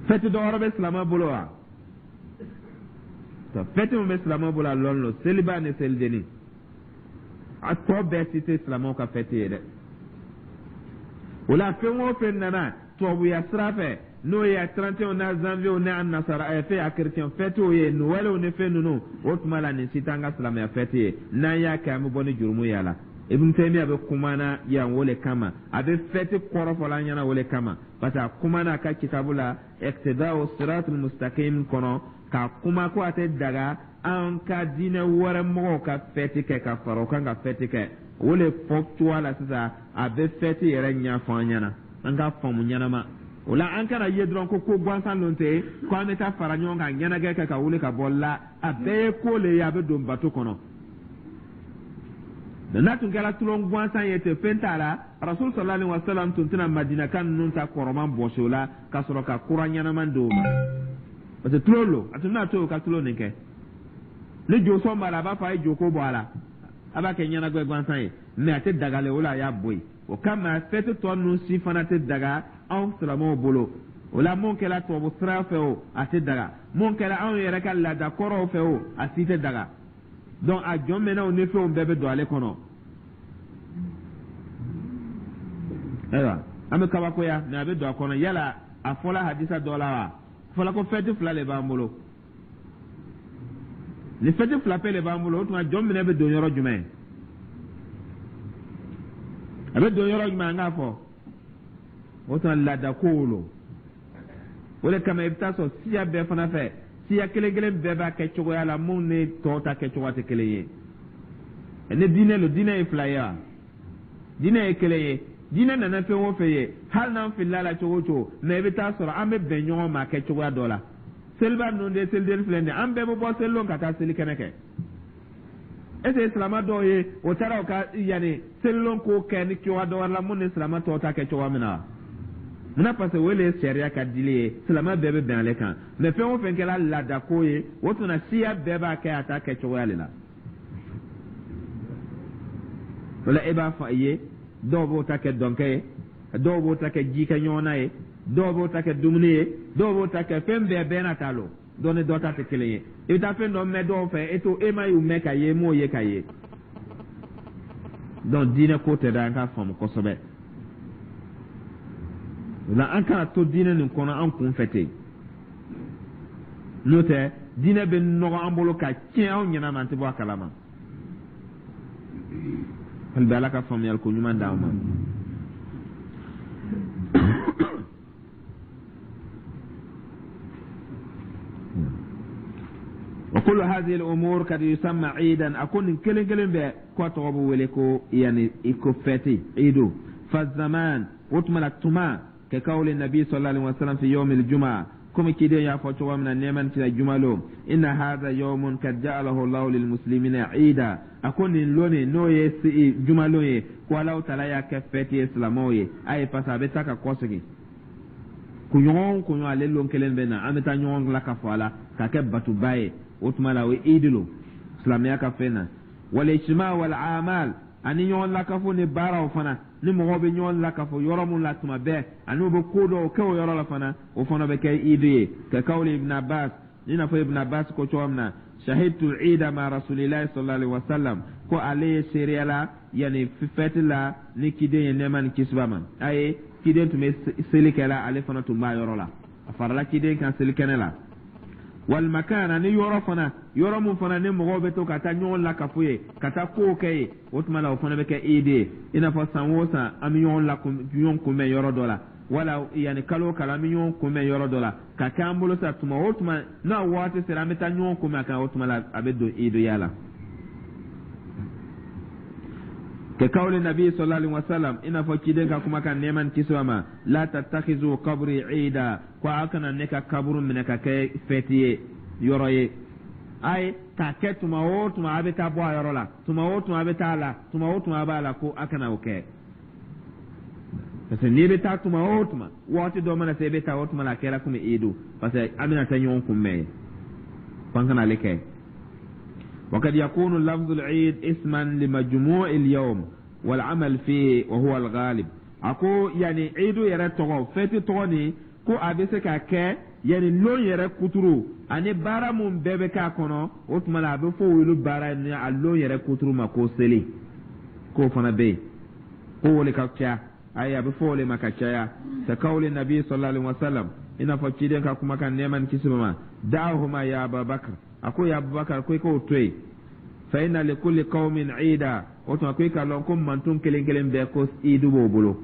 Fɛti dɔ wɛrɛ bɛ silamɛ bolo wa? Fɛti min bɛ silamɛ bolo, a lɔn lo, seliba ni selidenni. A tɔ bɛɛ si tɛ silamɛw ka fɛti ye dɛ. O la, fɛn o fɛn nana tubabuya sira fɛ, n'o ye 31 n'a janvier n'a nasara fɛn a chrétien fɛtiw ye, Noël ni fɛn ninnu, o tuma la, nin si t'an ka silamɛya fɛti ye. N'an y'a kɛ, an bɛ bɔ ni jurumu ye a la. Ibn Taymiya bɛ kumana yan o le kama, a bɛ fɛti kɔrɔ fɔla an ɲɛna o le kama, parce que a kumana a ka kitabu la Iqtida'u Siratul Mustaqim kɔnɔ k'a kuma ko a tɛ daga an ka diinɛ wɛrɛ mɔgɔw ka fɛti kɛ ka fara o kan ka fɛti kɛ. O le fɔ cogoya la sisan, a bɛ fɛti yɛrɛ ɲɛfɔ an ɲɛna, an ka faamu ɲɛnama. O la, an kana ye dɔrɔn ko ko gansan lon tɛ, ko an bɛ taa fara ɲɔgɔn kan, ɲɛnajɛ kɛ ka wuli ka bɔ la. A bɛɛ ye ko le ye, a bɛ don bato kɔnɔ. N'a tun kɛra tulon gansan ye ten, fɛn t'a la, Rasul sallallahu alaihi wasallam tun tɛna Madinaka ninnu ta kɔrɔman bɔsi o la ka sɔrɔ ka kura ɲɛnaman d'o ma, parce que tulon lo. A tun bɛna to o ka tulon nin kɛ. Ni josɔn b'a la, a b'a fɔ a ye joko bɔ a la, a b'a kɛ ɲɛnajɛ gansan ye, mais a tɛ dagalen o la, a y'a bɔ yen. O kama, fɛti tɔ ninnu si fana tɛ daga anw silamɛw bolo. O la, mun kɛra tubabu sira fɛ o, a tɛ daga. Mun kɛra anw yɛrɛ ka laada kɔrɔw fɛ o, a si tɛ daga. Donc a jɔn mɛnɛw ni fɛnw bɛɛ bɛ don ale kɔnɔ. Ayiwa, an bɛ kabakoya, mais a bɛ don a kɔnɔ. Yala a fɔla hadisa dɔ la wa? A fɔla ko fɛti fila de b'an bolo. Ni fɛti fila pe de b'an bolo, o tuma jɔn minɛ bɛ don yɔrɔ jumɛn? A bɛ don yɔrɔ jumɛn? An k'a fɔ o tuma laada kow lo. O de kama, i bɛ taa sɔrɔ siya bɛɛ fana fɛ, siya kelen kelen bɛɛ b'a kɛ cogoya la mun ni tɔw ta kɛ cogoya tɛ kelen ye. Ni diinɛ lo, diinɛ ye fila ye wa? Diinɛ ye kelen ye. Diinɛ nana fɛn o fɛn ye, hali n'an filila la cogo o cogo, mais i bɛ taa sɔrɔ an bɛ bɛn ɲɔgɔn ma kɛ cogoya dɔ la. Seliba ninnu de, seliden filɛ nin ye, an bɛɛ bɛ bɔ selilon ka taa seli kɛnɛ kɛ. Est ce que silama dɔw ye o taara o ka yanni selilon ko kɛ ni cogoya dɔ wɛrɛ la mun ni silama tɔw ta kɛ cogoya min na wa? Munna? Parce que o le ye sariya ka dili ye, silama bɛɛ bɛ bɛn ale kan. Mais fɛn o fɛn kɛra laadako ye, o tuma siya bɛɛ b'a kɛ a ta kɛ cogoya de la. O la, e b'a fɔ a ye, dɔw b'o ta kɛ dɔnkɛ ye, dɔw b'o ta kɛ ji kɛ ɲɔgɔnna ye, dɔw b'o ta kɛ dumuni ye, dɔw b'o ta kɛ fɛn bɛɛ. Bɛɛ n'a ta lo, dɔ ni dɔ ta tɛ kelen ye. I bɛ taa fɛn dɔ mɛn dɔw fɛ, e to e ma y'u mɛn ka ye, e m'o ye ka ye. Donc diinɛ ko tɛ dɛ, an k'a faamu kosɛbɛ. O la, an kana to diinɛ nin kɔnɔ an kun fɛ ten, n'o tɛ diinɛ bɛ nɔgɔ an bolo ka tiɲɛ anw ɲɛna ma, an tɛ bɔ a kalama. Hali bi, Ala ka faamuyali ko ɲuman d'an ma. Wa kullu hadhihi al-umur kad yusamma iidan. A ko nin kelen kelen bɛɛ ko a tɔgɔ bɛ wele ko yani i ko fɛti, iidu. Fa zaman, o tuma la tuma, ka kawli nabi sallallahu alaihi wasallam fi yawm al-jumu'a, komi ciden y'a fɔ cogo min na, nɛɛma ni kisi jumalon, inna hadha yawmun kad ja'alahu Allahu lil muslimina ida. A ko nin lon nin, n'o ye jumalon ye, ko Allahu taala y'a kɛ fɛti ye silamɛw ye. A ye parce que a bɛ taa ka kɔsegin kunɲɔgɔn o kunɲɔgɔn, ale lon kelen bɛ na, an bɛ taa ɲɔgɔn la ka fɔ a la k'a kɛ batoba ye. O tuma la, o ye idi lo silamɛya ka fɛn na. Wal ijtima wal amal, ani ɲɔgɔn lakafo ni baaraw fana, ni mɔgɔw bɛ ɲɔgɔn lakafo yɔrɔ mun la tuma bɛɛ, ani u bɛ ko dɔw kɛ o yɔrɔ la fana, o fana bɛ kɛ idi ye. Ka kawli Ibn Abbas, i n'a fɔ Ibn Abbas ko cogo min na, shahidtu ida ma rasulillahi sallallahu alaihi wasallam, ko ale ye seereya la yanni fɛti la ni ciden ye, nɛɛma ni kisi b'a ma. A ye ciden tun bɛ seli kɛla, ale fana tun b'a yɔrɔ la, a farala ciden kan selikɛnɛ la. Wal makan, ani yɔrɔ fana, yɔrɔ mun fana ni mɔgɔw bɛ to ka taa ɲɔgɔn lakafo ye, ka taa kow kɛ ye, o tuma la o fana bɛ kɛ idi ye. I n'a fɔ san o san an bɛ ɲɔgɔn la ɲɔgɔn kunbɛn yɔrɔ dɔ la, wala yanni kalo o kalo an bɛ ɲɔgɔn kunbɛn yɔrɔ dɔ la, ka kɛ an bolo sa, tuma o tuma n'a waati sera, an bɛ taa ɲɔgɔn kunbɛn a kan, o tuma la a bɛ don idiya la. Ka kawli nabi sallallahu alaihi wasallam, i n'a fɔ ciden ka kumakan, nɛɛma ni kisi b'a ma, la tattakhizu qabri ida, ko a kana ne ka kaburu minɛ ka kɛ fɛti ye yɔrɔ ye. A ye k'a kɛ tuma o tuma a bɛ taa bɔ a yɔrɔ la, tuma o tuma a bɛ taa a la, tuma o tuma a b'a la, ko a kana o kɛ. Parce que n'i bɛ taa tuma o tuma, waati dɔ mana se i bɛ taa, o tuma la a kɛra komi idu, parce que an bɛna taa ɲɔgɔn kunbɛn ye, ko an kana ale kɛ. وقد يكون لفظ العيد اسما لمجموع اليوم والعمل فيه وهو الغالب. A ko yani idu yɛrɛ tɔgɔ, fɛti tɔgɔ nin, ko a bɛ se ka kɛ yani lon yɛrɛ kuturu ani baara mun bɛɛ bɛ k'a kɔnɔ. O tuma la, a bɛ fɔ olu baara ni a lon yɛrɛ kuturu ma ko seli, k'o fana bɛ yen, ko o le ka ca. Ayi, a bɛ fɔ o le ma ka caya. Ka kawli nabi sallallahu alaihi wasallam, i n'a fɔ ciden ka kumakan, nɛɛma ni kisi b'a ma, da'ahuma ya Abubakar, a ko ya Abubakar, ko i k'o to yen, fa inna li kulli qaumin ida. O tuma ko i k'a lɔn ko mantun kelen kelen bɛɛ ko idu b'o bolo,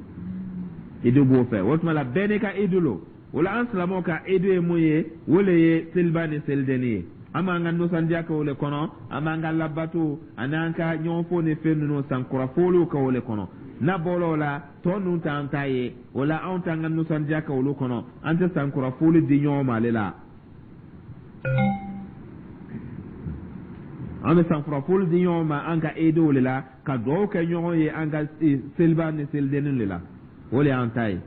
idu b'o fɛ. O tuma la, bɛɛ n'i ka idu lo. O la, an silamɛw ka idu ye mun ye? O le ye seliba ni selideni ye. An b'an ka nisɔndiya kɛ o le kɔnɔ, an b'an ka labato ani an ka ɲɔgɔnfo ni fɛn ninnu, sankura foliw kɛ o le kɔnɔ. N'a bɔra o la, tɔ ninnu t'an ta ye. O la, anw t'an ka nisɔndiya kɛ olu kɔnɔ, an tɛ sankura foli di ɲɔgɔn ma ale la. An bɛ sankura foli di ɲɔgɔn ma an ka eedew de la, ka dugawu kɛ ɲɔgɔn ye an ka seliba ni selidennin de la. O de y'an ta ye.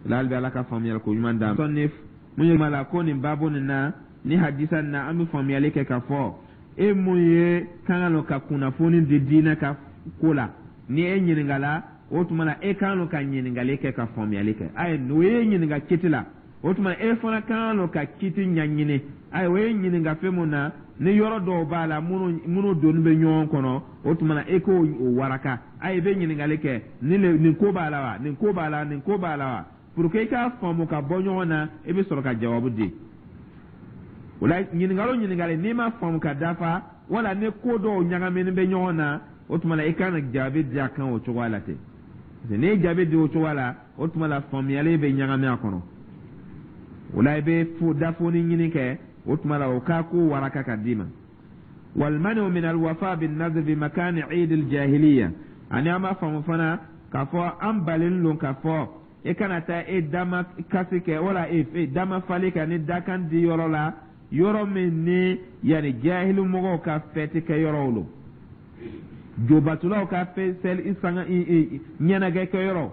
La hali bi, Ala ka faamuyali ko ɲuman d'an ma. Ni mun ye la ko nin baabu nin na, ni hadisa nin na, an bɛ faamuyali kɛ k'a fɔ e mun ye kan ka ka kunnafoni di diinɛ ka ko la, ni e ɲininkala, o tuma na e kan ka ɲininkali kɛ ka faamuyali kɛ. Ayi, n'o ye ɲininka kiti la, o tuma e fana kan ka kiti ɲɛɲini. Ayi, o ye ɲininka fɛn mun na, ni yɔrɔ dɔw b'a la minnu donni bɛ ɲɔgɔn kɔnɔ, o tuma na e k'o waraka. Ayi, i bɛ ɲininkali kɛ: nin ko b'a la wa, nin ko b'a la, nin ko b'a la wa, pour que i k'a faamu ka bɔ ɲɔgɔn na, i bɛ sɔrɔ ka jawabu di. O la, ɲininkali o ɲininkali, n'i ma faamu ka dafa, wala ni ko dɔw ɲagaminen bɛ ɲɔgɔn na, o tuma na i kan ka jaabi di a kan o cogoya la ten, parce que n'i ye jaabi di o cogoya la, o tuma la faamuyali bɛ ɲagami a kɔnɔ. O la, i bɛ fo dafoni ɲini kɛ, o tuma la o k'a ko waraka ka d'i ma. والمنع من الوفاء بالنذر بمكان عيد الجاهلية. Ani an b'a faamu fana k'a fɔ an balen don k'a fɔ e kana taa e dama kasi kɛ wala e dama fali kɛ ni dakan di yɔrɔ la, yɔrɔ min ni yanni jahili mɔgɔw ka fɛti kɛ yɔrɔw lo, jobatulaw ka fɛ sɛli sanga ɲɛnajɛ kɛ yɔrɔ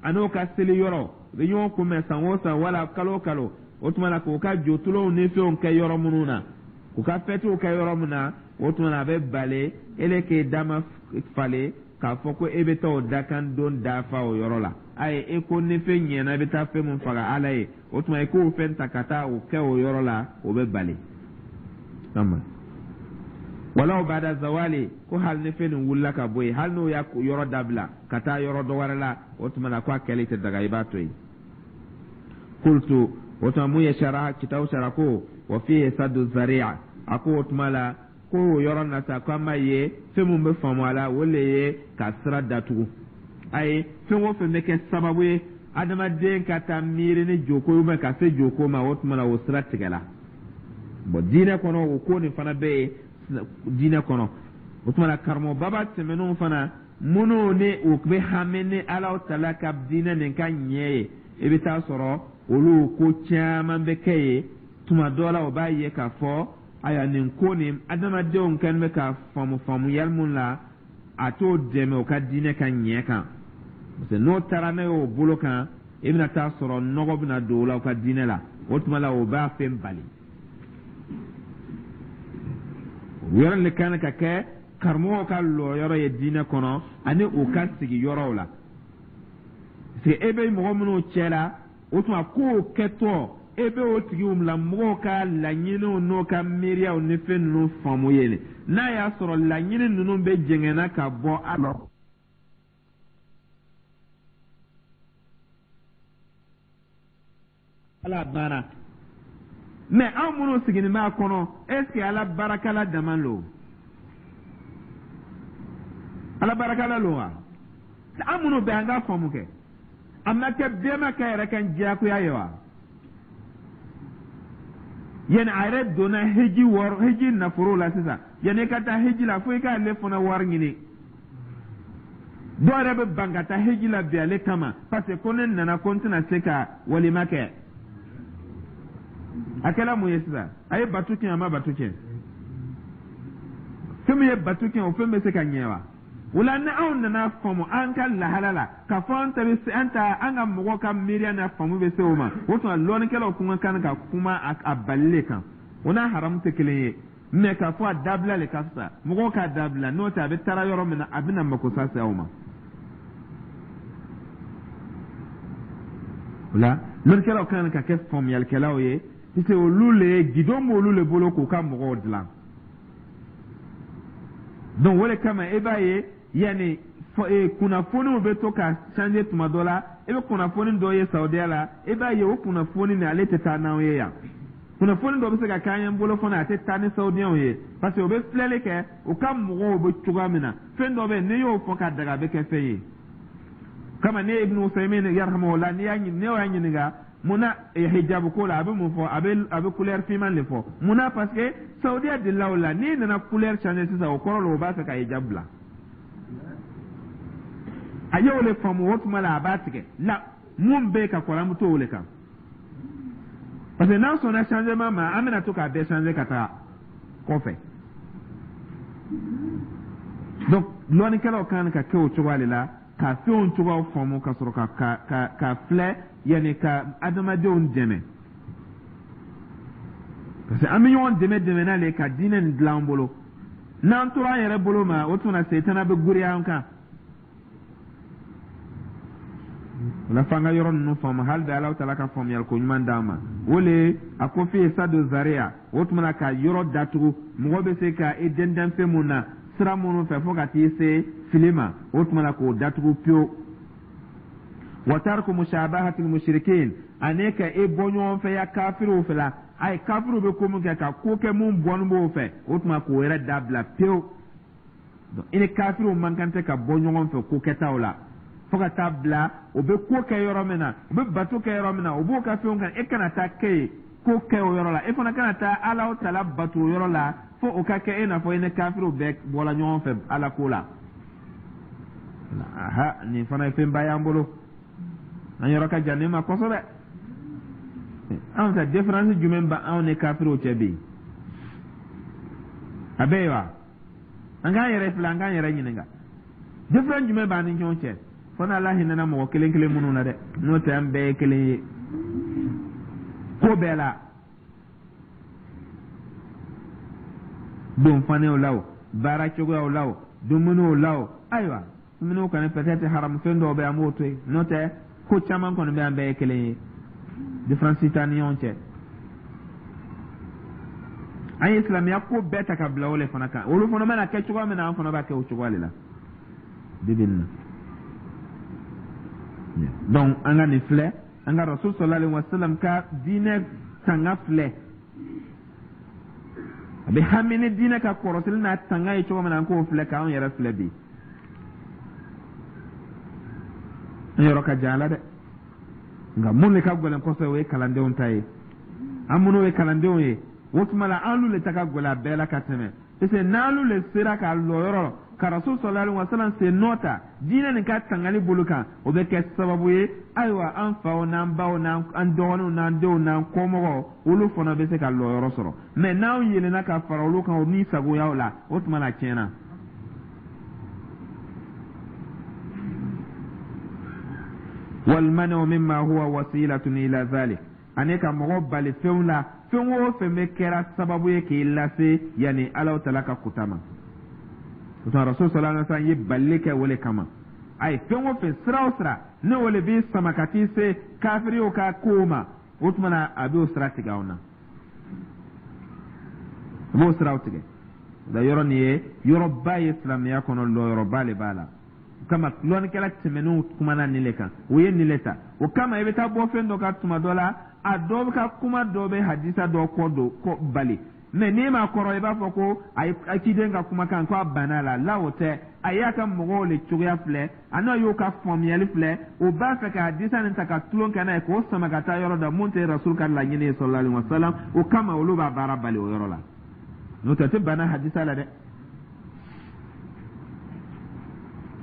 ani o ka seli yɔrɔ, u bɛ ɲɔgɔn kunbɛn san o san wala kalo o kalo. O tuma na, k'u ka jotulonw ni fɛnw kɛ yɔrɔ minnu na, k'u ka fɛtiw kɛ yɔrɔ min na, o tuma na a bɛ bale ele k'e dama falen k'a fɔ ko e bɛ taa o dakan don dafa o yɔrɔ la. Ayi, e ko ni fɛn ɲɛna, i bɛ taa fɛn min faga Ala ye, o tuma i k'o fɛn ta ka taa o kɛ o yɔrɔ la, o bɛ bali. ولو بعد زوال, ko hali ni fɛn nin wulila ka bɔ yen, hali n'o y'a yɔrɔ dabila ka taa yɔrɔ dɔ wɛrɛ la, o tuma na ko a kɛli tɛ daga, i b'a to yen. قلت, o tuma mun ye sara kitabu sara ko وفيه سد الذريعة. A ko o tuma la ko o yɔrɔ na sa, ko an b'a ye fɛn mun bɛ faamu a la, o le ye ka sira datugu. Ayi, fɛn o fɛn bɛ kɛ sababu ye adamaden ka taa miiri ni joko ye ka se joko ma, o tuma na o sira tigɛla. Bɔn, diinɛ kɔnɔ, o ko nin fana bɛ yen diinɛ kɔnɔ. O tuma na, karamɔgɔbaba tɛmɛnenw fana, minnu ni u bɛ hami ni Ala tala ka diinɛ nin ka ɲɛ ye, i bɛ taa sɔrɔ olu ko caman bɛ kɛ yen. Tuma dɔ la, o b'a ye k'a fɔ ayiwa, nin ko nin, adamadenw kɛlen bɛ ka faamu faamuyali mun la, a t'o dɛmɛ o ka diinɛ ka ɲɛ kan, parce que n'o taara n'a ye o bolo kan, i bɛna taa sɔrɔ nɔgɔ bɛna don o la, o ka diinɛ la. O tuma la, o b'a fɛn bali. O yɔrɔ de kan ka kɛ karamɔgɔw ka lɔyɔrɔ ye diinɛ kɔnɔ ani u ka sigi yɔrɔw la, parce que e bɛ mɔgɔ minnu cɛ la, o tuma kow kɛtɔ, e bɛ o tigiw la mɔgɔw ka laɲiniw n'o ka miiriyaw ni fɛn ninnu faamu ye. N'a y'a sɔrɔ laɲini ninnu bɛ jɛngɛnna ka bɔ a la, Ala banna. Mais anw minnu sigilen b'a kɔnɔ, est ce que Ala barakala dama lo, Ala barakala lo wa? An minnu bɛ an ka faamu kɛ, a ma kɛ bɛnbakɛ yɛrɛ kan diyagoya ye wa? Yanni a yɛrɛ donna hiji wɔrɔ, hiji nafolo la sisan, yanni i ka taa hiji la, fo i k'ale fana wari ɲini. Dɔw yɛrɛ bɛ ban ka taa hiji la bi ale kama, parce que ko ne nana ko n tɛna se ka walima kɛ. A kɛla mun ye sisan? A ye bato tiɲɛ, a ma bato tiɲɛ? Fɛn min ye bato tiɲɛ, o fɛn bɛ se ka ɲɛ wa? O la, ni anw nana faamu an ka lahala la k'a fɔ an ta bɛ se, an ta an ka mɔgɔw ka miiriya n'a faamu bɛ se o ma, o tuma lɔnnikɛlaw kun ka kan ka kuma a balili kan. O n'a haramu tɛ kelen ye, mais k'a fɔ a dabila le ka fisa, mɔgɔw k'a dabila. N'o tɛ, a bɛ taara yɔrɔ min na, a bɛna makosa se aw ma. O la, lɔnnikɛlaw kan ka kɛ faamuyalikɛlaw ye, puisque olu le ye guidon b'olu le bolo k'u ka mɔgɔw dilan. Donc o de kama, e b'a ye yanni kunnafoniw bɛ to ka changer. Tuma dɔ la, e bɛ kunnafoni dɔ ye Saudiya la, e b'a ye o kunnafoni nin, ale tɛ taa n'anw ye yan. Kunnafoni dɔ bɛ se ka k'an ye bolo fana, a tɛ taa ni Saudiyɛnw ye, parce que o bɛ filɛli kɛ u ka mɔgɔw bɛ cogoya min na. Fɛn dɔ bɛ yen, n'i y'o fɔ ka daga, a bɛ kɛ fɛn ye kama. Ne ye Ibn Usaymin yarhamahullah, n'i y'a ne y'a ɲininka munna hijabu ko la, a bɛ mun fɔ? A bɛ couleur finman de fɔ. Munna? Parce que Saudiya delila o la. N'i nana couleur changer sisan, o kɔrɔ la o b'a fɛ ka hijab bila. A y'o le faamu, o tuma la a b'a tigɛ la. Mun bɛ yen ka kɔrɔ, an bɛ to o le kan, parce que n'an sɔnna changement ma, an bɛna to k'a bɛɛ changer ka taga kɔfɛ. Donc lɔnnikɛlaw kan ka kɛ o cogoya de la, ka fɛnw cogoyaw faamu, ka sɔrɔ ka filɛ yanni ka adamadenw dɛmɛ, parce que an bɛ ɲɔgɔn dɛmɛ dɛmɛ n'ale ka diinɛ nin dilan an bolo. N'an tora an yɛrɛ bolo ma, o tuma setana bɛ giriya an kan. O la, f'an ka yɔrɔ ninnu faamu. Hali bi, Alahu taala ka faamuyali ko ɲuman d'an ma. O le a ko fi sadu zariya. O tuma na, ka yɔrɔ datugu, mɔgɔ bɛ se ka i dɛndɛn fɛn mun na, sira minnu fɛ, fo ka t'i se fili ma, o tuma na k'o datugu pewu. Wa tariku mushabahatil mushrikin, ani ka e bɔ ɲɔgɔn fɛ ya kafiriw fɛ la. Ayi, kafiriw bɛ ko min kɛ, ka ko kɛ mun bɔnni b'o fɛ, o tuma k'o yɛrɛ dabila pewu. I ni kafiriw man kan tɛ ka bɔ ɲɔgɔn fɛ ko kɛtaw la, fo ka taa bila o bɛ ko kɛ yɔrɔ min na, u bɛ bato kɛ yɔrɔ min na, u b'o ka fɛnw kan, e kana taa kɛ yen, ko kɛ o yɔrɔ la. E fana kana taa Ala tala bato o yɔrɔ la, fo o ka kɛ e n'a fɔ i ni kafiriw bɛɛ bɔla ɲɔgɔn fɛ Ala ko la. Aha, nin fana ye fɛnba y'an bolo. An yɔrɔ ka jan nin ma kosɛbɛ. Anw ta, différence jumɛn bɛ anw ni kafiriw cɛ bi? A bɛ yen wa? An k'an yɛrɛ filɛ, an k'an yɛrɛ ɲininka, différence jumɛn b'an ni ɲɔgɔn cɛ? Fo n'Ala hinɛna mɔgɔ kelen kelen minnu na dɛ, n'o tɛ an bɛɛ ye kelen ye ko bɛɛ la, donfaniw la o, baara cogoyaw la o, dumuniw la o. Ayiwa, dumuniw kɔni, peut-être haramu fɛn dɔw bɛ, an b'o to yen, n'o tɛ ko caman kɔni bɛ, an bɛɛ ye kelen ye, différence t'an ni ɲɔgɔn cɛ. An ye silamɛya ko bɛɛ ta ka bila o le fana kan. Olu fana mana kɛ cogoya min na, an fana b'a kɛ o cogoya de la bi bi in na. Donc an ka nin filɛ, an ka Rasul sallallahu alaihi wasallam ka diinɛ tanga filɛ. A bɛ hami ni diinɛ ka kɔrɔsili n'a tanga ye cogo min na, an k'o filɛ k'anw yɛrɛ filɛ bi. An yɔrɔ ka jan a la dɛ, nka mun de ka gɛlɛn kosɛbɛ, o ye kalandenw ta ye. An minnu ye kalandenw ye, o tuma la an le ta ka gɛlɛn a bɛɛ la ka tɛmɛ, parce que n'alu le sera ka lɔ yɔrɔ ka Rasul sallallahu alaihi wasallam sen nɔ ta diinɛ nin ka tangali bolo kan, o bɛ kɛ sababu ye, ayiwa, an faw n'an baw n'an dɔgɔninw n'an denw n'an kɔmɔgɔw, olu fana bɛ se ka lɔyɔrɔ sɔrɔ. Mais n'anw yelenna ka fara olu kan o ni sagoyaw la, o tuma la a tiɲɛna. Walmanu mimma huwa wasilatun ila zalik, ani ka mɔgɔ bali fɛnw la, fɛn o fɛn bɛ kɛra sababu ye k'i lase yanni Alahu taala ka kuta ma. O tuma Rasul sallallahu alaihi wasallam ye balili kɛ o le kama. A ye fɛn o fɛn, sira o sira, ne o le b'i sama ka t'i se kafiriw ka kow ma, o tuma na a b'o sira tigɛ aw na, a b'o siraw tigɛ. O la, yɔrɔ nin ye yɔrɔba ye silamɛya kɔnɔ, lɔyɔrɔba le b'a la. O kama lɔnnikɛla tɛmɛnenw kumana nin le kan, o ye nin le ta. O kama i bɛ taa bɔ fɛn dɔ kan tuma dɔ la, a dɔ ka kuma dɔ bɛ hadisa dɔ kɔ don kɔ bali, mais n'i m'a kɔrɔ, i b'a fɔ ko a ye ciden ka kumakan ko a banna la la. O tɛ, a y'a ka mɔgɔw le cogoya filɛ, a n'a y'o ka faamuyali filɛ, o b'a fɛ ka hadisa nin ta ka tulon kɛ n'a ye, k'o sama ka taa yɔrɔ dɔ mun tɛ Rasul ka laɲini ye sallallahu alaihi wasallam. O kama olu b'a baara bali o yɔrɔ la, n'o tɛ, a tɛ banna hadisa la dɛ.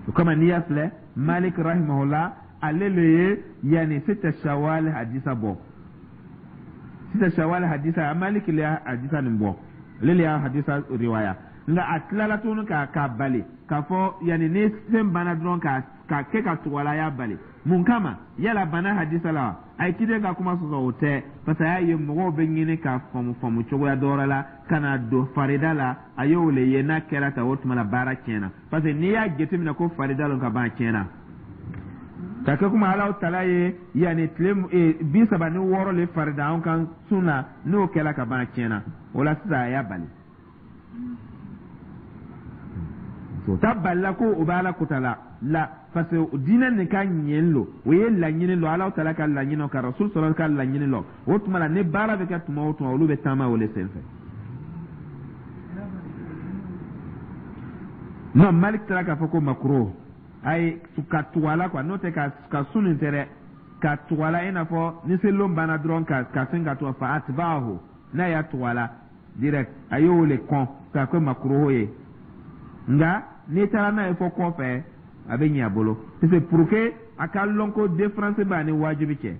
O kama n'i y'a filɛ, Malik rahimahullah, ale le ye yanni sita shawal hadisa bɔ. Sita shawal hadisa, Malik le y'a hadisa nin bɔ, ale le y'a hadisa riwaya. Nka a tilala tuguni k'a bali k'a fɔ yanni ni fɛn banna dɔrɔn ka kɛ ka tugu a la, a y'a bali. Mun kama? Yala banna hadisa la wa? A ye ciden ka kuma sɔsɔ? O tɛ, parce que a y'a ye mɔgɔw bɛ ɲini k'a faamu faamu cogoya dɔ wɛrɛ la ka na don farida la. A y'o le ye n'a kɛra tan, o tuma la baara tiɲɛna, parce que n'i y'a jateminɛ ko farida lon ka ban, a tiɲɛna. Ka kɛ komi Alahu tala ye yanni tile 36 le farida anw kan sun na, n'o kɛla ka ban, a tiɲɛna. O la sisan a y'a bali. O ta balila ko o bɛ Ala kota la la, parce que diinɛ nin ka ɲɛ lo, o ye laɲini lɔ, Alahu tala ka laɲini lɔ, ka Rasul sɔrɔ ka laɲini lɔ. O tuma la ni baara bɛ kɛ tuma o tuma, olu bɛ taama o le senfɛ. Non, Malik taara k'a fɔ ko makruh, ayi, ka tugu a la quoi, n'o tɛ ka sun nin tɛ dɛ, ka tugu a la, i n'a fɔ ni selilon banna dɔrɔn ka fɛn ka tugu fa atba'ahu, n'a y'a tugu a la direct, a y'o le kɔn k'a kɛ makruh ye. Nka n'i taara n'a ye fɔ kɔfɛ, A bɛ ɲɛ a bolo, parce que pour que a ka lɔn ko différence b'a ni wajibi cɛ.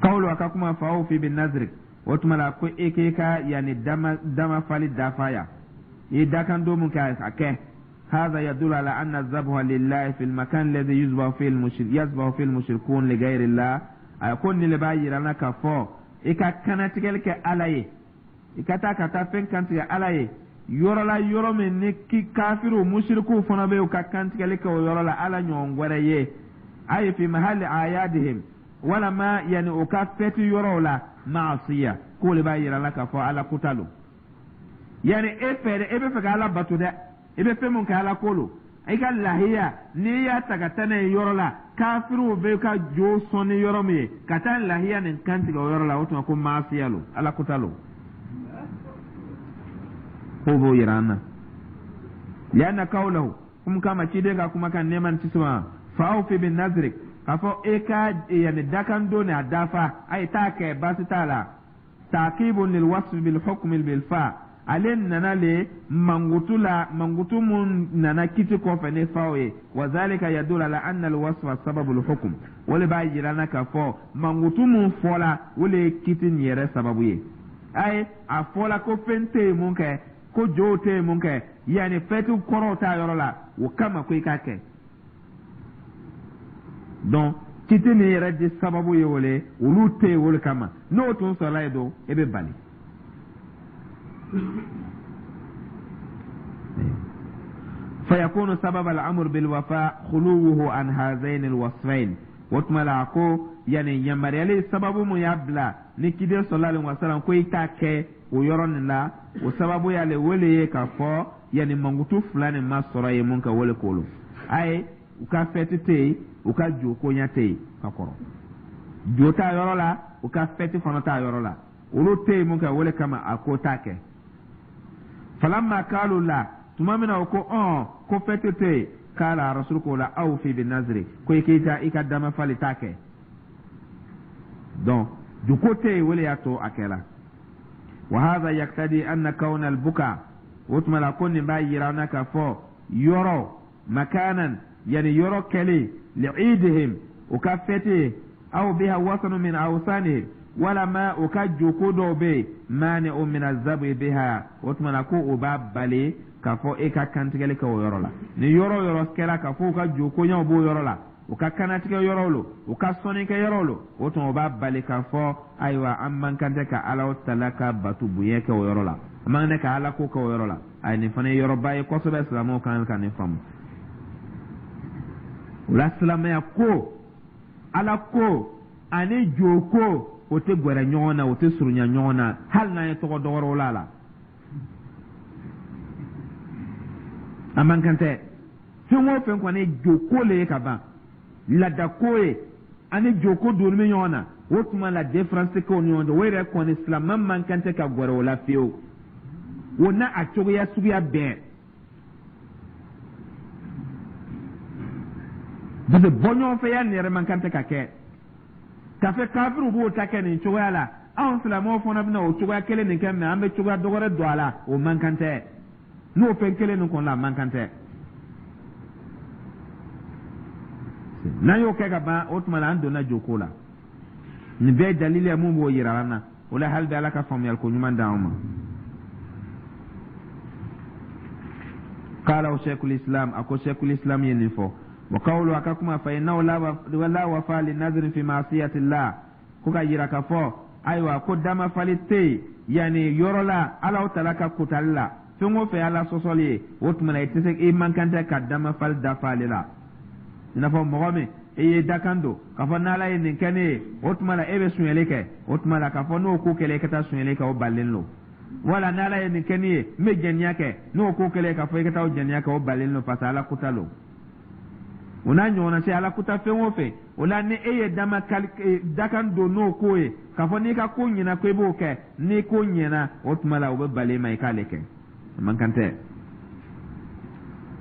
Kawulu, a ka kuma, fa awfi bi nazrik, o tuma la ko e k'e ka yanni dama damafali dafa ya, i dakan don mun kɛ, a kɛ. هذا يدل على أن الذبح لله في المكان الذي يذبح فيه المشركون لغير الله. A ko nin le b'a yira n na k'a fɔ i ka kannatigɛli kɛ Ala ye, i ka taa ka taa fɛn kantigɛ Ala ye yɔrɔ la, yɔrɔ min ni ki kafiriw, musirikuw fana bɛ u ka kantigɛli kɛ o yɔrɔ la Ala ɲɔgɔn wɛrɛ ye, ayi fi mahali ayadihim, walama yanni u ka fɛti yɔrɔw la, maasiya, k'o le b'a yira la k'a fɔ Ala kuta lo. Yanni e fɛ dɛ, e bɛ fɛ ka Ala bato dɛ, i bɛ fɛn mun kɛ, Ala ko lo. I ka lahiya, n'i y'a ta ka taa n'a ye yɔrɔ la kafiriw bɛ ka jo sɔn ni yɔrɔ min ye, ka taa lahiya nin kantigɛ o yɔrɔ la, o tuma ko maasiya lo, Ala kuta lo. K'o b'o yira an na. Lianna kawlahu, kum kama ciden ka kumakan, nɛɛma ni kisi ma, fa awfi bi nazrik, k'a fɔ e ka yanni dakan don a dafa, a ye t'a kɛ, baasi t'a la. Taqibun lil wasfi bil hukmi bil fa, ale nana le mankutu la, mankutu mun nana kiti kɔfɛ ni faw ye. Wa zalika yadullu ala anna al wasfa sababul hukm, o le b'a yira na k'a fɔ mankutu mun fɔla, o le ye kiti nin yɛrɛ sababu ye. Ayi, a fɔla ko fɛn tɛ yen mun kɛ, ko jow tɛ yen mun kɛ, yanni fɛti kɔrɔw t'a yɔrɔ la, o kama ko i k'a kɛ. Donc kiti nin yɛrɛ di sababu ye o le, olu tɛ yen o le kama. N'o tun sɔrɔla yen don, e bɛ bali. فيكون سبب الأمر بالوفاء خلوه عن هذين الوصفين. O tuma la ko yanni yamaruyali sababu mun y'a bila ni kiden sallallahu alaihi wasallam ko i t'a kɛ o yɔrɔ nin la, o sababu y'ale wele ye k'a fɔ yanni mankutu fila nin ma sɔrɔ yen mun kɛ, wele k'olu ayi, u ka fɛti tɛ yen, u ka jo koɲɛ tɛ yen ka kɔrɔ, jo t'a yɔrɔ la, u ka fɛti fana t'a yɔrɔ la, olu tɛ yen mun kɛ, wele kama a ko t'a kɛ. Falamma kalu la, tuma min na o ko ɔn ko fɛti tɛ yen, kala rasul ko la awfi bi nazri, ko i k'i ta i ka damafali t'a kɛ. Donc juko tɛ yen, wele y'a to a kɛla. Wa hadha yaktadi anna kawna albuka, o tuma la ko nin b'a yira an na k'a fɔ yɔrɔ makanan, yani yɔrɔ kɛlen liidihim, u ka fɛti, aw biha wasanu min awsanihim, walama u ka joko dɔw bɛ yen, mani'u min azabi biha, o tuma na ko o b'a bali k'a fɔ e ka kantigɛli kɛ o yɔrɔ la. Ni yɔrɔ o yɔrɔ kɛra k'a fɔ u ka jokoɲɛw b'o yɔrɔ la, u ka kanatigɛ yɔrɔw lo, u ka sɔnnikɛ yɔrɔw lo, o tuma o b'a bali k'a fɔ ayiwa, an man kan tɛ ka Ala tala ka batu bonya kɛ o yɔrɔ la, an man kan tɛ ka Ala ko kɛ o yɔrɔ la. Ayi, nin fana ye yɔrɔba ye kosɛbɛ, silamɛw kan ka nin faamu. O la silamɛya ko, Ala ko ani jo ko, o tɛ gwɛrɛ ɲɔgɔn na, o tɛ surunya ɲɔgɔn na, hali n'an ye tɔgɔ dɔgɔrɔw la a la, a man kan tɛ. Fɛn o fɛn kɔni ye joko le ye ka ban, laadako ye, ani joko donni bɛ ɲɔgɔn na, o tuma la différence tɛ kɛ o ni ɲɔgɔn cɛ. O yɛrɛ kɔni, silamɛ man kan tɛ ka gwɛrɛ o la fiyewu, o n'a a cogoya suguya bɛɛ. Parce que bɔɲɔgɔnfɛya nin yɛrɛ man kan tɛ ka kɛ k'a fɛ kafiriw b'o ta kɛ nin cogoya la, anw silamɛw fana bɛna o cogoya kelen nin kɛ, mais an bɛ cogoya dɔgɔrɛ don a la, o man kan tɛ. N'o fɛn kelen nin kɔni la, a man kan tɛ. N'an y'o kɛ ka ban, o tuma la an donna joko la. Nin bɛɛ ye dalili ye mun b'o yira an na. O la hali bi, Ala ka faamuyali ko ɲuman d'anw ma. Qala sheikhul islam, a ko sheikhul islam ye nin fɔ. Wa qawlu, a ka kuma, fa innahu la wafa li nazrin fi ma'siyatillah, ko ka yira ka fɔ ayiwa ko damafali tɛ yen yanni yɔrɔ la Alaw tala ka kotali la, fɛn o fɛn Ala sɔsɔli ye, o tuma na i tɛ se, i man kan tɛ ka damafali dafa ale la. I n'a fɔ mɔgɔ min e ye dakan don k'a fɔ n'Ala ye nin kɛ ne ye, o tuma la e bɛ sonyɛli kɛ, o tuma la k'a fɔ n'o ko kɛlen e ka taa sonyɛli kɛ, o balilen don. Wala n'Ala ye nin kɛ ne ye, n bɛ jɛniya kɛ, n'o ko kɛlen k'a fɔ i ka taa o jɛniya kɛ, o balilen don, parce que Ala kuta don. O n'a ɲɔgɔnna se Ala kuta fɛn o fɛn, o la ni e ye dama dakan don n'o ko ye k'a fɔ n'i ka ko ɲɛna ko i b'o kɛ, n'i ko ɲɛna, o tuma la o bɛ bali ma i k'ale kɛ, a man kan tɛ.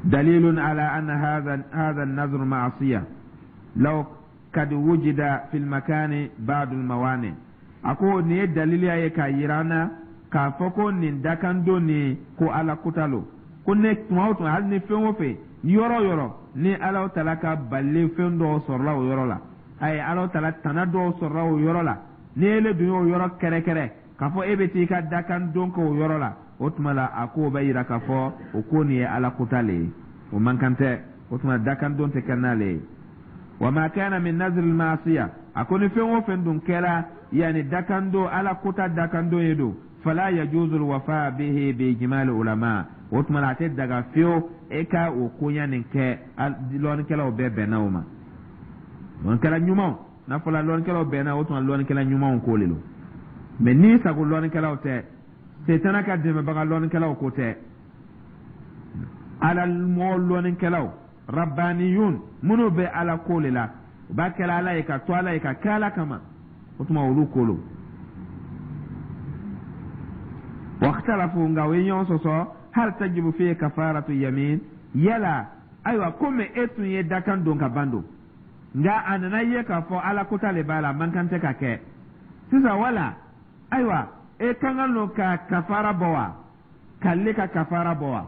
Dalilun ala anna hadha an-nazr ma'asiya law kad wujida fil makani ba'd al-mawani. A ko nin ye daliliya ye k'a yira an na. K'a fɔ ko nin dakandon nin ko Ala kota lo, ko ne tuma o tuma, hali ni fɛn o fɛn, yɔrɔ o yɔrɔ ni Ala tala ka balili fɛn dɔw sɔrɔla o yɔrɔ la, ayi, Ala tala tana dɔw sɔrɔla o yɔrɔ la, ni ele dun y'o yɔrɔ kɛrɛkɛrɛ k'a fɔ e bɛ t'i ka dakandon kɛ o yɔrɔ la, o tuma la a k'o bɛ yira k'a fɔ o ko nin ye Ala kota le ye, o man kan tɛ. O tuma dakandon tɛ kɛ n'ale ye. Wa ma kana min nazri maasiya, a ko ni fɛn o fɛn dun kɛra yanni dakandon, Ala kota dakandon ye don, fala yajuzu alwafa bihi bi ijmal ulama, o tuma la a tɛ daga fiyewu e ka o koɲa nin kɛ. Lɔnnikɛlaw bɛɛ bɛnna o ma, lɔnnikɛla ɲumanw. N'a fɔla lɔnnikɛlaw bɛnna, o tuma lɔnnikɛla ɲumanw ko le don. Mɛ n'i sago lɔnnikɛlaw tɛ, setana ka dɛmɛbaga lɔnnikɛlaw ko tɛ, Ala mɔgɔ lɔnnikɛlaw rabbaniyun minnu bɛ Ala ko le la, u b'a kɛla Ala ye ka to Ala ye ka kɛ Ala kama, o tuma olu ko lo. Wakhtalafu, nka o ye ɲɔgɔn sɔsɔ, hal tajibu fihi kafaratu yamin, yala ayiwa komi e tun ye dakan don ka ban don, nka a nana ye k'a fɔ Ala kota le b'a la, a man kan tɛ ka kɛ sisan, wala ayiwa e ka kan don ka kafara bɔ wa, k'ale ka kafara bɔ wa,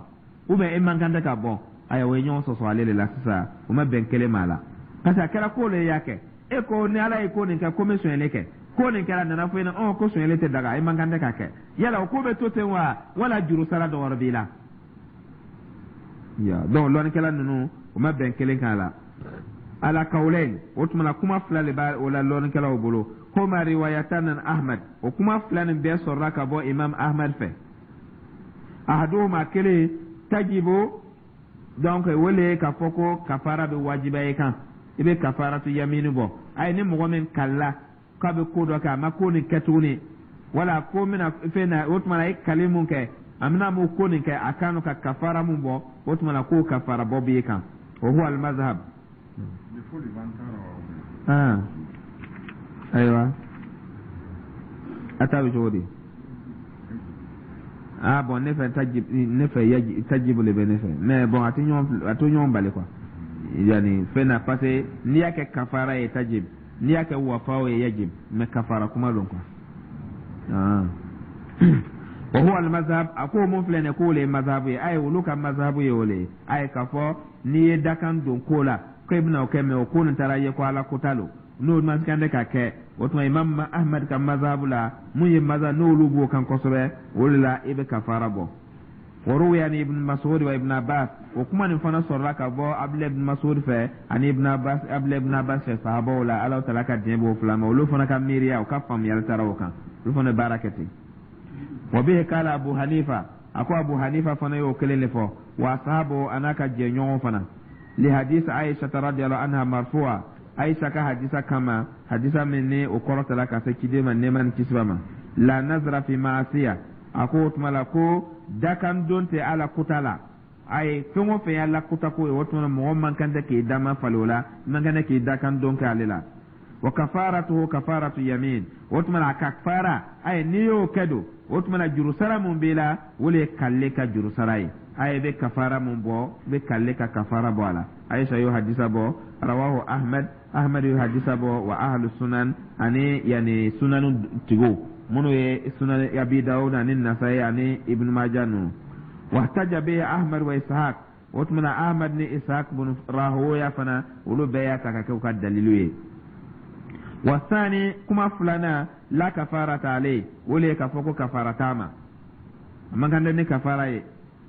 ou bien e man kan tɛ ka bɔ? Ayiwa, o ye ɲɔgɔn sɔsɔ ale de la sisan, o ma bɛn kelen ma a la, parce que a kɛra ko le y'a kɛ. E ko ni Ala ye ko nin kɛ, ko n bɛ sonyɛli kɛ, ko nin kɛra, a nana fɔ i ɲɛna ɔn ko sonyɛli tɛ daga, e man kan tɛ ka kɛ. Yala o ko bɛ to ten wa, wala juru sara dɔ wɛrɛ b'i la ya? Donc lɔnnikɛla ninnu, o ma bɛn kelen kan a la. Ala kawulain, o tuma na kuma fila de b'a o la lɔnnikɛlaw bolo. Huma riwayatan an Ahmad, o kuma fila nin bɛɛ sɔrɔla ka bɔ Imam Ahmad fɛ. Ahaduhuma, kelen, tajibu, donc o le ye k'a fɔ ko kafara bɛ wajibiya i kan, i bɛ kafaratu yamini bɔ. Ayi, ni mɔgɔ min kalila k'a bɛ ko dɔ kɛ, a ma ko nin kɛ tuguni, wala ko bɛna fɛn na, o tuma na a ye kali mun kɛ, a bɛna mun ko nin kɛ, a kan ka kafara mun bɔ, o tuma na k'o kafara bɔ b'i kan. O huwa al-mazhab. Ah, ayiwa, a ta bɛ cogo di? Ah bon, ne fɛ tajib, ne fɛ yaji tajibu le bɛ ne fɛ, mais bon, a tɛ ɲɔgɔn bali quoi, yani fɛn na, parce que n'i y'a kɛ kafara ye tajib, n'i y'a kɛ wafaw ye yajib, mais kafara kuma don quoi. Ah, wa huwa al-mazhab, a ko mun filɛ nin ye, k'o le ye mazhabu ye. Ayi, olu ka mazhabu ye o le ye. Ayi, k'a fɔ n'i ye dakan don ko la ko i bɛna o kɛ, mais o ko nin taara ye ko Ala kota lo, n'o man kan tɛ ka kɛ, o tuma Imam Ahmad ka mazhabu la, mun ye mazhab n'olu b'o kan kosɛbɛ, o de la i bɛ kafara bɔ. Wa ruwiya an Ibn Mas'ud wa Ibn Abbas, o kuma nin fana sɔrɔla ka bɔ Abdulahi ibn Mas'ud fɛ ani Ibn Abbas, Abdulahi ibn Abbas fɛ, sahabaw la, Ala taala ka diɲɛ b'o fila ma. Olu fana ka miiriya, u ka faamuyali taara o kan, olu fana baara kɛ ten. Wa bihi kala Abu Hanifa, a ko Abu Hanifa fana y'o kelen de fɔ, wa ashabu, a n'a ka jɛɲɔgɔn fana, li hadisi Aisha radiyallahu anha marfu'a, Aisha ka hadisa kama, hadisa min ni o kɔrɔtala ka se ciden ma, nɛɛma ni kisi b'a ma, la nazra fi maasiya, a ko o tuma la ko dakan don tɛ Ala kuta la. Ayi, fɛn o fɛn ye Ala kuta ko ye, o tuma mɔgɔ man kan tɛ k'i dama fali o la, man kan tɛ k'i dakan don kɛ ale la. Wa kafaratuhu kafaratu yamin, o tuma a kafara, ayi, n'i y'o kɛ don, o tuma na jurusara mun b'i la, o le ye kale ka jurusara ye. Ayi, i bɛ kafara mun bɔ, i bɛ kale ka kafara bɔ a la. Aisha y'o hadisa bɔ, rawahu Ahmad, Ahmad y'o hadisa bɔ, wa ahlu sunan, ani yani sunan tigiw minnu ye Sunan Abi Dawud ani Nasai ani Ibn Majah ninnu. Wahtaja bihi Ahmad wa Ishaq, o tuma na Ahmad ni Ishaq bin Rahoya fana, olu bɛɛ y'a ta ka kɛ u ka dalilu ye. Wa sani, kuma filanan, la kafarata alayhi, o le ye k'a fɔ ko kafara t'a ma, a man kan tɛ ni kafara ye,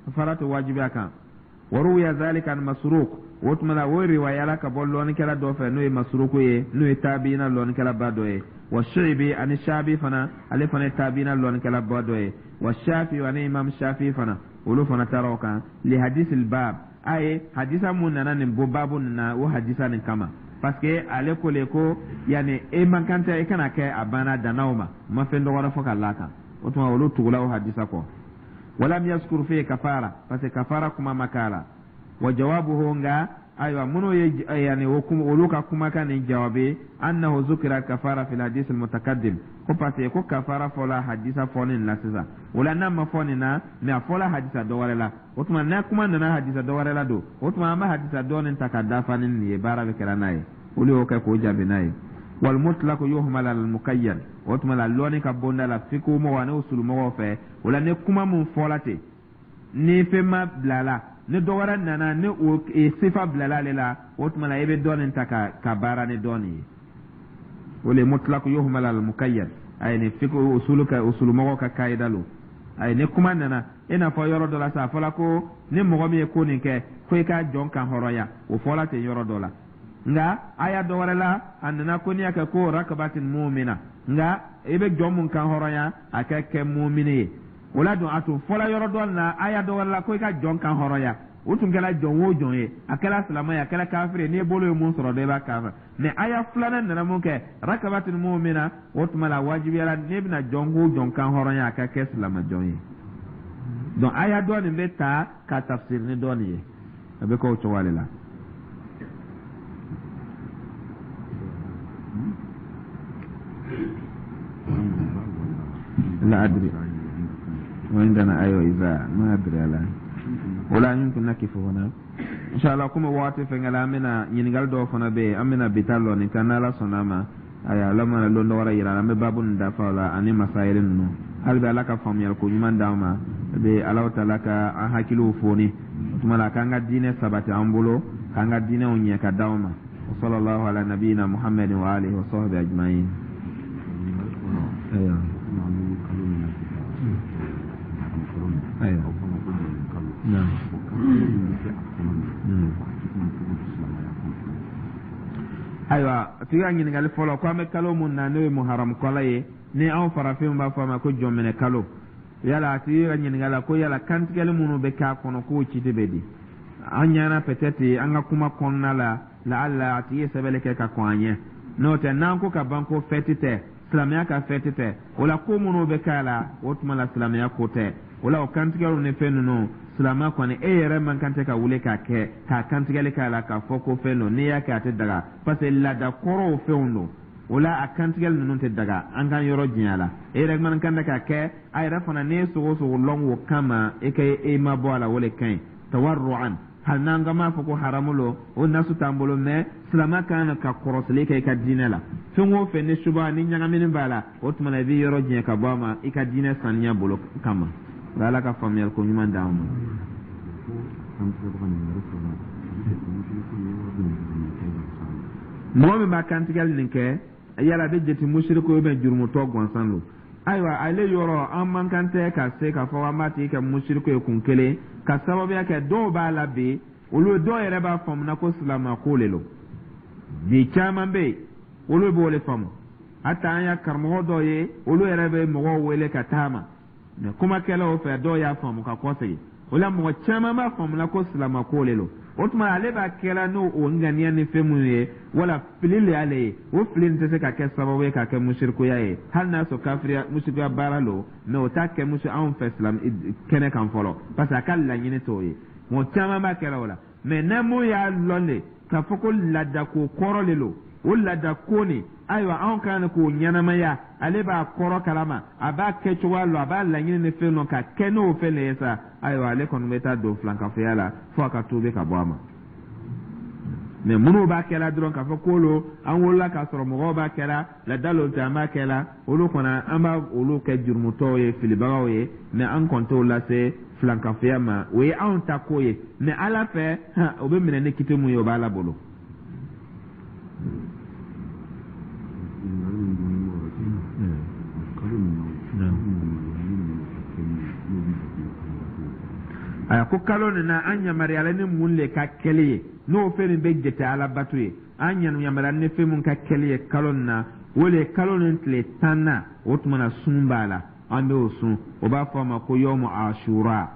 kafara tɛ wajibi a kan. Wa ruwiya zalika an Masruq, o tuma na o riwayala ka bɔ lɔnnikɛla dɔ fɛ n'o ye Masruq ye, n'o ye tabiina lɔnnikɛlaba dɔ ye, wa Shi'bi, ani Shabi fana, ale fana ye tabiina lɔnnikɛlaba dɔ ye, wa Shafi, ani Imam Shafi fana, olu fana taara o kan, li hadisil bab, a ye hadisa mun nana nin bɔ baabu nin na, o hadisa nin kama, parce que ale ko le ko yani e man kan tɛ i kana kɛ, a banna dannaw ma, ma fɛn dɔ wɛrɛ fɔ ka la kan. O tuma olu tugula o hadisa kɔ. Walam yazkur fihi kafara, parce que kafara kuma ma k'a la. Wa jawabuhu, nka ayiwa minnu ye yani olu ka kumakan nin jawabi, annahu zukira kafara fil hadis al mutaqaddim, ko parce que ko kafara fɔla hadisa fɔnin la sisan, o la n'a ma fɔ nin na, mais a fɔla hadisa dɔ wɛrɛ la, o tuma n'a kuma nana hadisa dɔ wɛrɛ la don, o tuma an bɛ hadisa dɔ nin ta ka dafa ni nin ye, baara bɛ kɛra n'a ye. Olu y'o kɛ k'o jaabi n'a ye. Wal mutlaq yuhmal al muqayyad. O tuma la, lɔnni ka bonda la, fiqh mɔgɔ ani usulu mɔgɔw fɛ, o la ni kuma mun fɔla ten, ni fɛn ma bila la, ni dɔ wɛrɛ nana ni o sifa bilala ale la, o tuma la i bɛ dɔ nin ta ka baara ni dɔ nin ye. O le mutlaq yuhmal al muqayyad. Ayi, ni fiqh usulu ka usulu mɔgɔw ka kayida lo. Ayi, ni kuma nana, i n'a fɔ yɔrɔ dɔ la sa, a fɔla ko ni mɔgɔ min ye ko nin kɛ, ko i ka jɔn kan hɔrɔnya, o fɔla ten yɔrɔ dɔ la. Nka aya dɔ wɛrɛ la, a nana ko n'i y'a kɛ ko rakabatin mumina, nka i bɛ jɔn mun kan hɔrɔnya, a ka kɛ mumini ye. O la dun, a tun fɔla yɔrɔ dɔ la, aya dɔ wɛrɛ la, ko i ka jɔn kan hɔrɔnya, o tun kɛra jɔn o jɔn ye, a kɛra silamɛ ye, a kɛra kafiri ye, n'i bolo ye mun sɔrɔ dɔ, i b'a kafiri. Mɛ aya filanan nana mun kɛ rakabatin mumina, o tuma la wajibiyara n'e bɛna jɔn ko jɔn kan hɔrɔnya, a ka kɛ silamɛ jɔn ye. Donc aya dɔ nin bɛ ta ka tafsiri ni dɔ nin ye, a bɛ kɛ o cogoya de la. لا أدري وعندنا أيوة إذا ما أدري على ولا يمكن نقف هنا إن شاء الله. Komi waati fɛnkɛla, an bɛna ɲininkali dɔw fana bɛ yen, an bɛna bi ta lɔ nin kan. N'Ala sɔnna a ma, ayiwa, Ala mana lon dɔ wɛrɛ yira, an bɛ baabu nin dafa o la ani masayiri ninnu. Hali bi Ala ka faamuyali ko ɲuman d'an ma bi, Ala taala ka an hakiliw foni, o tuma la k'an ka diinɛ sabati an bolo, k'an ka diinɛw ɲɛ ka d'anw ma. Wa sallallahu ala nabiyina Muhammadin wa alihi wa sahbihi ajma'in. Ayiwa, ayiwa, naam. Ayiwa, a tigi ka ɲininkali fɔlɔ ko an bɛ kalo mun na, n'o ye muharamu kalo ye, ni anw farafinw b'a fɔ a ma ko jɔnminɛ kalo, yala a tigi ka ɲininkali la ko yala kantigɛli minnu bɛ k'a kɔnɔ, k'o citi bɛ di an ɲɛna? Peut-être an ka kuma kɔnɔna la, laala a tigi ye sɛbɛnni kɛ ka kɔn an ɲɛ. N'o tɛ, n'an ko ka ban ko fɛti tɛ, silamɛya ka fɛti tɛ, o la ko minnu bɛ k'a la, o tuma la silamɛya ko tɛ. O la o kantigɛliw ni fɛn ninnu, silamɛ kɔni e yɛrɛ man kan tɛ ka wuli k'a kɛ, k'a kantigɛli k'a la, k'a fɔ ko fɛn don. N'i y'a kɛ, a tɛ daga, parce que laada kɔrɔw fɛnw don. O la a kantigɛli ninnu tɛ daga, an k'an yɔrɔ janya la. E yɛrɛ man kan tɛ k'a kɛ. A yɛrɛ fana, n'i ye sogo sogo lɔn o kama, e ka e ma bɔ a la, o de ka ɲi tawarru'an. Hali n'an ka m'a fɔ ko haramu lo, o nasu t'an bolo, mɛ silamɛ kan ka kɔrɔsili kɛ i ka diinɛ la. Fɛn o fɛn ni suba ni ɲagamini b'a la, o tuma na i b'i yɔrɔ janya ka bɔ a ma i ka diinɛ saniya bolo kama. Ala ka faamuyali ko ɲuman d'an ma. Mɔgɔ min b'a kantigɛli nin kɛ, yala a bɛ jate musiriku ye bɛ jurumutɔ gansan don? Ayiwa, ale yɔrɔ an man kan tɛ ka se k'a fɔ an b'a tigi kɛ musiriku ye kun kelen, ka sababuya kɛ dɔw b'a la bi, olu dɔw yɛrɛ b'a faamuna ko silama ko le lo. Bi caman bɛ yen, olu b'o de faamu. Hata an ya karamɔgɔ dɔw ye, olu yɛrɛ bɛ mɔgɔw wele ka taa ma mɛ kumakɛlaw fɛ, dɔw y'a faamu ka kɔsegin. O la mɔgɔ caman b'a faamuna ko silama ko le lo. O tuma ale b'a kɛla n'o o ŋaniya ni fɛn minnu ye, wala fili le y'ale ye. O fili nin tɛ se ka kɛ sababu ye k'a kɛ musirikuya ye, hali n'a sɔrɔ kafiriya musirikuya baara lo, mɛ o t'a kɛ musi anw fɛ silam kɛnɛ kan fɔlɔ, parce que a ka laɲini t'o ye. Mɔgɔ caman b'a kɛla o la. Mɛ n'a mun y'a lɔn de k'a fɔ ko laadako kɔrɔ le lo, o laadako nin, ayiwa, anw kan k'o ɲɛnamaya, ale b'a kɔrɔ kalama, a b'a kɛ cogoya lɔn, a b'a laɲini ni fɛn lɔn ka kɛ n'o fɛn de ye sa, ayiwa, ale kɔni bɛ taa don filankafoya la fo a ka tuubi ka bɔ a ma. Mɛ minnu b'a kɛla dɔrɔn k'a fɔ k'olu an wolola k'a sɔrɔ mɔgɔw b'a kɛla, laada lo tɛ, an b'a kɛla, olu kɔni an b'a olu kɛ jurumutɔw ye, filibagaw ye, mɛ an kɔni t'o lase filankafoya ma. O ye anw ta ko ye, mɛ Ala fɛ, o bɛ minɛ ni kiti mun ye, o b'Ala bolo. Aya, ko kalo nin na, an yamaruyala ni mun le ka kɛli ye, n'o fɛn min bɛ jate alabato ye? An yamaruyala ni fɛn mun ka kɛli ye kalo nin na, o le ye kalo nin tile 10nan. O tuma na sun b'a la, an bɛ o sun, o b'a fɔ a ma ko yɔmu asura.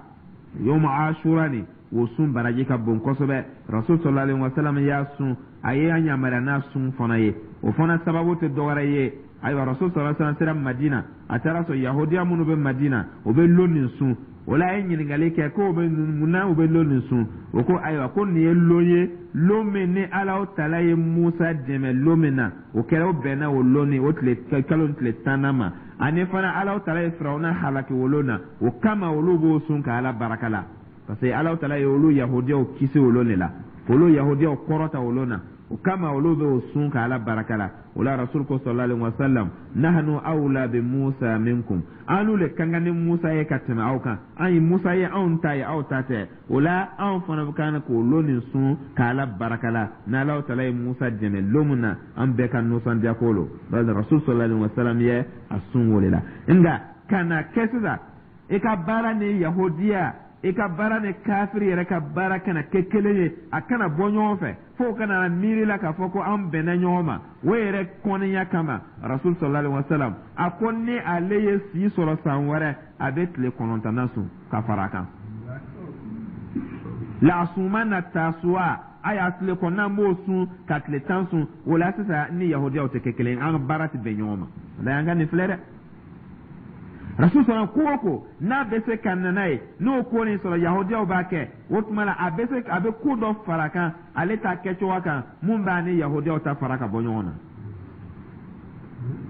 Yɔmu asura nin, o sun baraji ka bon kosɛbɛ. Rasul sallallahu alaihi wasallam y'a sun, a ye an yamaruya n'a sun fana ye. O fana sababu tɛ dɔwɛrɛ ye. Ayiwa, rasul sallallahu alaihi wasallam sera Madina, a taara sɔrɔ yahudiya minnu bɛ Madina, o bɛ lon nin sun. O la a ye ɲininkali kɛ ko bɛ mun na u bɛ lon nin sun? O ko ayiwa, ko nin ye lon ye, lon min ni Ala taala ye Musa dɛmɛ lon min na, o kɛra, o bɛnna o lon ni o tile kalo tile 10nan ma. Ani fana Ala taala ye Firawuna halaki o lon na. O kama olu b'o sun ka Ala baraka la, parce que Ala taala ye olu yahudiyaw kisi o lon de la, olu yahudiyaw kɔrɔta o lon na. O kama olu bɛ o sun ka Ala baraka la. O la, Rasul ko sallallahu alaihi wasallam: nahnu awla bi Musa minkum, an le kan kan ni Musa ye ka tɛmɛ aw kan. An ye Musa ye, anw ta ye, aw ta tɛ. O la, anw fana bɛ kan k'o lon nin sun ka Ala baraka la. N'Ala taala ye Musa dɛmɛ lon min na, an bɛɛ ka nisɔndiya ko lo. Rasul sallallahu alaihi wasallam ye a sun o de la. Nka ka na kɛ sisan, i ka baara ni yahudiya, i ka baara ni kafiri yɛrɛ ka baara kana kɛ kelen ye, a kana bɔ ɲɔgɔn fɛ, fo kana miiri la k'a fɔ ko an bɛnna ɲɔgɔn ma, o yɛrɛ kɔniya kama, Rasul sallallahu alaihi wasallam a ko ni ale ye si sɔrɔ san wɛrɛ, a bɛ tile 9nan sun ka fara a kan. La'asumanna tasuwa, a y'a tile kɔnɔna b'o sun ka tile 10 sun. O la sisan, ni yahudiyaw tɛ kɛ kelen ye, an ka baara tɛ bɛn ɲɔgɔn ma. O la, an ka nin filɛ dɛ. Rasul sɔrɔ ko o ko n'a bɛ se ka na n'a ye, n'o ko nin sɔrɔ yahudiyaw b'a kɛ, o tuma la a bɛ se, a bɛ ko dɔ fara kan ale ta kɛcogoya kan mun b'a ni yahudiyaw ta fara ka bɔ ɲɔgɔn na.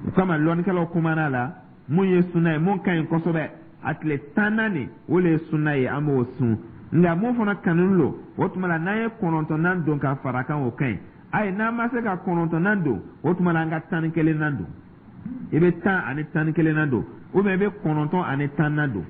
O kama, lɔnnikɛlaw kumana la, mun ye sunna ye, mun ka ɲi kosɛbɛ, a tile 10nan nin, o le ye sunna ye, an b'o sun. Nka mun fana kanu lo, o tuma la n'an ye 9nan don ka fara kan, o ka ɲi. Ayi, n'an ma se ka 9nan don, o tuma la an ka 11nan don. I bɛ 10 ani 11nan don, ou bien i bɛ 9 ani 10nan don,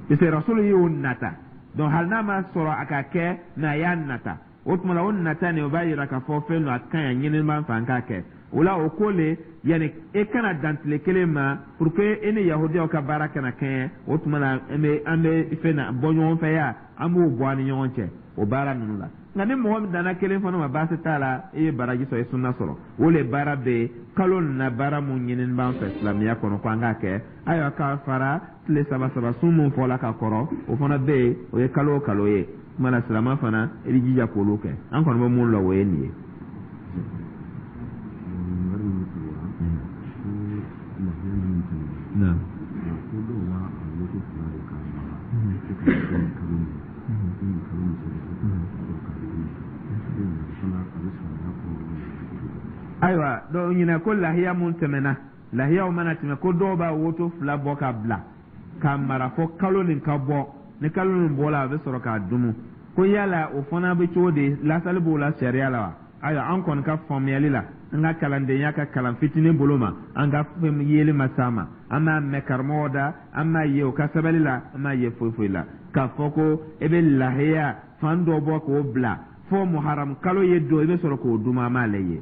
parce que Rasulu y'o nata. Donc hali n'a ma sɔrɔ a ka kɛ, mais a y'a nata. O tuma la, o nata nin, o b'a yira k'a fɔ fɛn don, a ka ɲi, a ɲinini b'an fɛ an k'a kɛ. O la, o ko le, yanni e kana dan tile kelen ma pour que e ni yahudiyaw ka baara kana kɛɲɛ, o tuma la an bɛ fɛn na bɔ ɲɔgɔn fɛ ya, an b'o bɔ an ni ɲɔgɔn cɛ o baara ninnu la. Nka ni mɔgɔ min danna kelen fana ma, baasi t'a la, i ye baraji sɔrɔ, i ye sunna sɔrɔ. O le baara bɛ yen kalo nin na, baara mun ɲinini b'an fɛ silamɛya kɔnɔ ko an k'a kɛ. Ayiwa, k'a fara tile saba saba sun mun fɔla ka kɔrɔ, o fana bɛ yen, o ye kalo o kalo ye. Kuma na, silamɛ fana, i bɛ jija k'olu kɛ. An kɔni bɛ mun lɔ, o ye nin ye. Wari min sɔrɔla ko lahiya min tɛmɛna, ko dɔw b'a a woto fila de k'a mara ko k'a kɛ kalo min ni kalo min sera, ko ka sɔrɔ k'a dun fana, a bɛ silamɛya kɔnɔ. Ayiwa, dɔw ɲinɛ ko lahiya mun tɛmɛna, lahiyaw mana tɛmɛ, ko dɔw b'a woto fila bɔ ka bila k'a mara fɔ kalo nin ka bɔ. Ni kalo nin bɔla, a bɛ sɔrɔ k'a dumu. Ko yala o fana bɛ cogo di? Lasali b'o la sariya la wa? Ayiwa, an kɔni ka faamuyali la, an ka kalandenya ka kalan fitinin bolo ma, an ka fɛn yeli ma s'a ma, an b'a mɛn karamɔgɔ da, an b'a ye o ka sɛbɛnni la, an b'a ye foyi foyi la k'a fɔ ko e bɛ lahiya fan dɔ bɔ k'o bila fo muharam kalo ye don, i bɛ sɔrɔ k'o dun. An m'ale ye,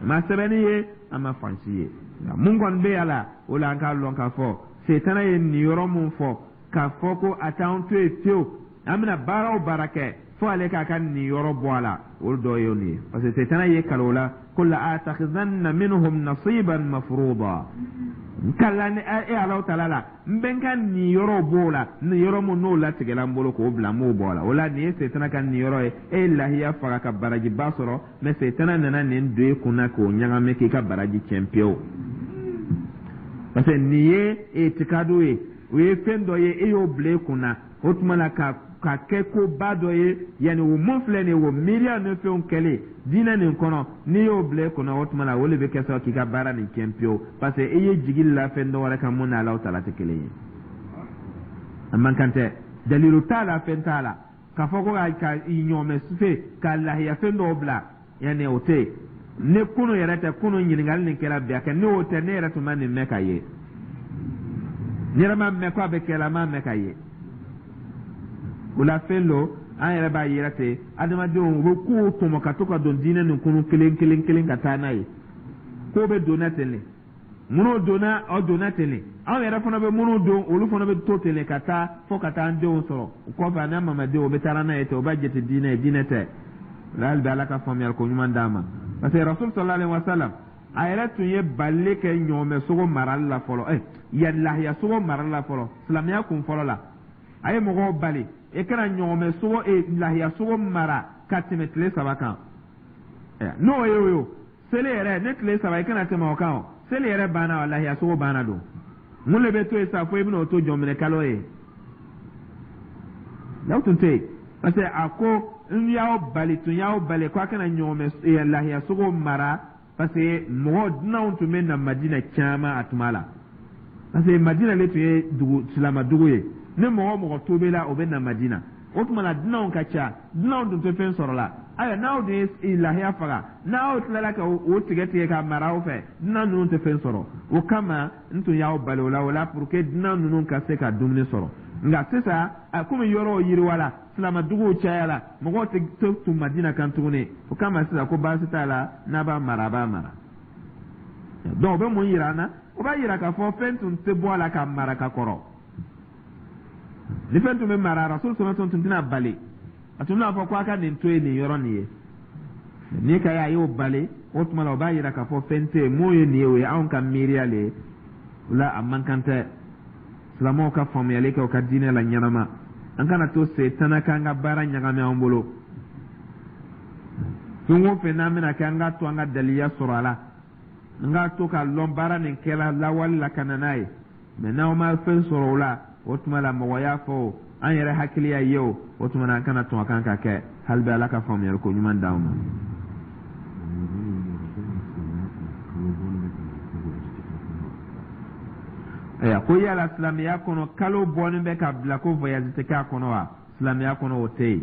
a ma sɛbɛnni ye, an ma fansi ye. Nka mun kɔni bɛ a la, o la an k'a lɔn k'a fɔ setana ye nin yɔrɔ mun fɔ k'a fɔ ko a t'an to yen fiyewu, an bɛna baara o baara kɛ fo ale k'a ka nin yɔrɔ bɔ a la, o dɔ ye nin ye. Parce que setana ye kalo la ko la atakhizanna minhum nasiban mafruda, n kala ni e Alahu taala la, n bɛ n ka nin yɔrɔ b'o la, nin yɔrɔ mun n'o latigɛla n bolo k'o bila, n b'o bɔ a la. O la, nin ye setana ka nin yɔrɔ ye. E ye lahiya faga ka barajiba sɔrɔ, mais setana nana nin don e kunna k'o ɲagami k'i ka baraji tiɲɛ pewu, parce que nin ye etikadu ye, o ye fɛn dɔ ye, e y'o bila e kunna. O tuma la, ka kɛ koba dɔ ye, yanni o mun filɛ nin ye, o miiriya ni fɛnw kɛlen diinɛ nin kɔnɔ, n'i y'o bila e kunna, o tuma la o de bɛ kɛ sababu k'i ka baara nin tiɲɛ pewu, parce que i ye jigi la fɛn dɔ wɛrɛ kan mun ni Alahu taala tɛ kelen ye. A man kan tɛ, dalilu t'a la, fɛn t'a la k'a fɔ ko ka i ɲɔgɔmɛ sufe ka lahiya fɛn dɔw bila, yanni o tɛ yen. Ne kunu yɛrɛ tɛ, kunu ɲininkali nin kɛra bi, a kɛ n'o tɛ, ne yɛrɛ tun ma nin mɛn ka ye. Ne yɛrɛ ma mɛn ko a bɛ kɛ la, n m'a mɛn ka ye. O la, fɛn dɔ an yɛrɛ b'a yira ten, adamadenw u bɛ kow tɔmɔ ka to ka don diinɛ nin kɔnɔ kelen kelen kelen ka taa n'a ye. Ko bɛ donna ten de, minnu donna, aw donna ten de, anw yɛrɛ fana bɛ minnu don, olu fana bɛ to ten de ka taa fo ka taa an denw sɔrɔ. O kɔfɛ, a n'a mamadenw, o bɛ taa n'a ye ten, o b'a jate diinɛ ye. Diinɛ tɛ. Hali bi, Ala ka faamuyali ko ɲuman d'an ma, parce que Rasul sallallahu alaihi wa sallam, a yɛrɛ tun ye balili kɛ ɲɔgɔmɛ sogo marali la fɔlɔ, yan lahiya sogo marali la fɔlɔ, silamɛya kun fɔlɔ la. A ye mɔgɔw bali e kana ɲɔgɔmɛ sogo, lahiya sogo mara ka tɛmɛ tile 3 kan. N'o ye o ye o, seli yɛrɛ ne tile 3, i kana tɛmɛ o kan. O seli yɛrɛ banna, o lahiya sogo banna don. Mun de bɛ to yen sa fo i bɛna o to jɔnminɛ kalo ye? N'aw tun tɛ yen, parce que a ko n y'aw bali, tun y'aw bali ko a kana ɲɔgɔmɛ lahiya sogo mara, parce que mɔgɔ dunanw tun bɛ na Madina caman a tuma la, parce que Madina le tun ye dugu silama dugu ye. Ni mɔgɔ o mɔgɔ tobela, o bɛ na Madina. O tuma la, dunanw ka ca, dunanw dun tɛ fɛn sɔrɔ la. Ayiwa, n'aw dun ye lahiya faga, n'aw tilala ka o tigɛ tigɛ ka mara aw fɛ, dunan ninnu tɛ fɛn sɔrɔ. O kama n tun y'aw bali o la, o la pour que dunan ninnu ka se ka dumuni sɔrɔ. Nka sisan, a komi yɔrɔw yiriwala, silamaduguw cayala, mɔgɔw tɛ to tun Madina kan tuguni, o kama sisan ko baasi t'a la, n'a b'a mara, a b'a mara. Donc o bɛ mun yira an na? O b'a yira k'a fɔ fɛn tun tɛ bɔ a la ka mara ka kɔrɔ. Ni fɛn tun bɛ mara, Rasul sɔrɔ tun tɛna bali, a tun bɛna fɔ ko a ka nin to yen, nin yɔrɔ nin ye. N'i ka ye a y'o bali, o tuma la o b'a yira k'a fɔ fɛn tɛ yen. Mun ye nin ye? O ye anw ka miiriya le ye. O la, a man kan tɛ silamɛw ka faamuyali kɛ u ka diinɛ la ɲɛnama. An kana to setana k'an ka baara ɲagami an bolo. Fɛn o fɛn n'an bɛna kɛ, an k'a to an ka daliya sɔrɔ a la, an k'a to k'a lɔn baara nin kɛla lawale la ka na n'a ye. Mɛ n'aw ma fɛn sɔrɔ o la, o tuma la mɔgɔ y'a fɔ o, an yɛrɛ hakili y'a ye o, o tuma na an kana tɔn a kan ka kɛ. Hali bi Ala ka faamuyali ko ɲuman d'anw ma. Ayiwa, ko yala silamɛya kɔnɔ, kalo bɔlen bɛ ka bila ko voyage tɛ k'a kɔnɔ wa? Silamɛya kɔnɔ, o tɛ yen.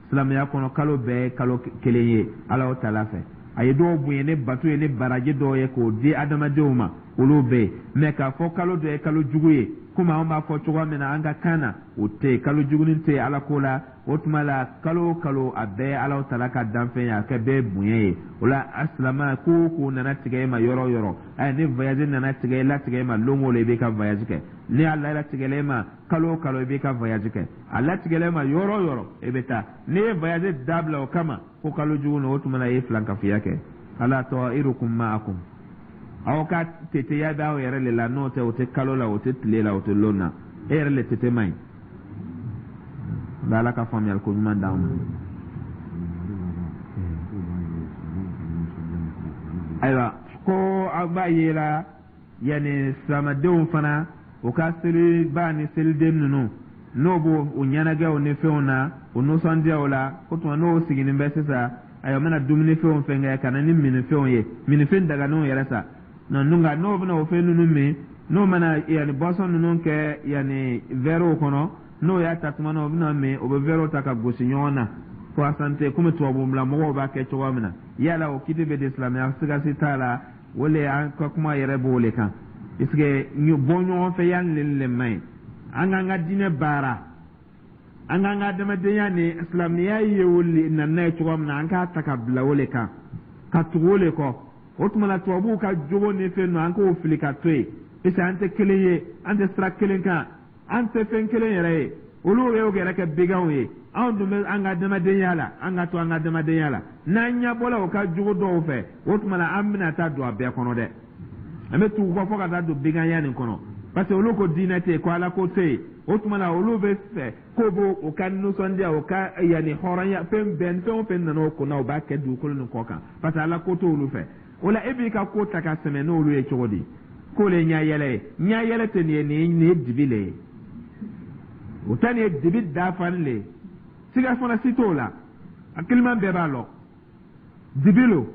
Silamɛya kɔnɔ, kalo bɛɛ ye kalo kelen ye Ala o tala fɛ. A ye dɔw bonya ni bato ye, ni baraji dɔw ye k'o di adamadenw ma, olu bɛ yen. Mɛ k'a fɔ kalo dɔ ye kalo jugu ye, komi anw b'a fɔ cogoya min na an ka kan na, o tɛ yen. Kalo jugunin tɛ yen Ala ko la. O tuma la, kalo o kalo, a bɛɛ ye Ala tala ka danfɛn ye, a kɛ bɛɛ bonya ye. O la, a silama ko o ko nana tigɛ e ma yɔrɔ o yɔrɔ, ayi, ni voyage nana tigɛ latigɛ e ma lon o lon, i b'i ka voyage kɛ. Ni a latigɛla e ma kalo o kalo, i b'i ka voyage kɛ. A latigɛla e ma yɔrɔ o yɔrɔ, i bɛ taa. N'i ye voyage dabila o kama ko kalo jugu na, o tuma la i ye filankafoya kɛ. Ala ta'irukum ma'akum, aw ka teteya bɛ aw yɛrɛ le la, n'o tɛ o tɛ kalo la, o tɛ tile la, o tɛ lon na. E yɛrɛ le tete man ɲi. Ala ka faamuyali ko ɲuman d'anw ma. Ayiwa, ko aw b'a ye la, yanni silamadenw fana u ka seliba ni seliden ninnu, n'o b'o u ɲɛnajɛw ni fɛnw na, u nisɔndiyaw la, o tuma n'o sigilen bɛ sisan, ayiwa, u bɛna dumunifɛnw fɛn kɛ ka na ni minifɛnw ye, minifɛn daganenw yɛrɛ sa. Nka n'o bɛna o fɛn ninnu min, n'o mana yanni boisson ninnu kɛ yanni vɛriw kɔnɔ, n'o y'a ta tuma na o bɛna min, o bɛ vɛriw ta ka gosi ɲɔgɔn na ko a santé, komi tubabu mɔgɔw b'a kɛ cogoya min na. Yala o kiti bɛ di silamɛya? Siga si t'a la, o le an ka kuma yɛrɛ b'o le kan, puisque bɔ ɲɔgɔn fɛ yan le man ɲi. An k'an ka diinɛ baara, an k'an ka adamadenya ni silamɛya ye o le na n'a ye cogoya min na, an k'a ta ka bila o le kan, ka tugu o le kɔ. O tuma la, tubabuw ka jogo ni fɛn ninnu, an k'o fili ka to yen, puisque an tɛ kelen ye, an tɛ sira kelen kan, an tɛ fɛn kelen yɛrɛ ye. Olu y'o yɛrɛ kɛ beganw ye, anw dun bɛ an ka adamadenya la. An ka to an ka adamadenya la. N'an ɲɛ bɔla o ka jogo dɔw fɛ, o tuma la an bɛna taa don a bɛɛ kɔnɔ dɛ. An bɛ tugu kɔ fo ka taa don beganya nin kɔnɔ, parce que olu ko diinɛ tɛ yen, ko Ala ko tɛ yen. O tuma la, olu bɛ fɛ k'o b'o o ka nisɔndiya, o ka yanni hɔrɔnya, fɛn bɛɛ, fɛn o fɛn nana o kunna, o b'a kɛ dugukolo nin kɔ kan, parce que Ala ko t'olu fɛ. O la, e b'i ka ko ta ka sɛmɛ n'olu ye cogo di k'o le ɲɛ yɛlɛ ye? Ɲɛ yɛlɛ tɛ nin ye, nin ye dibi le ye. O ta nin ye dibi dafalen le ye, siga fana si t'o la, a kiliman bɛɛ b'a lɔ, dibi lo.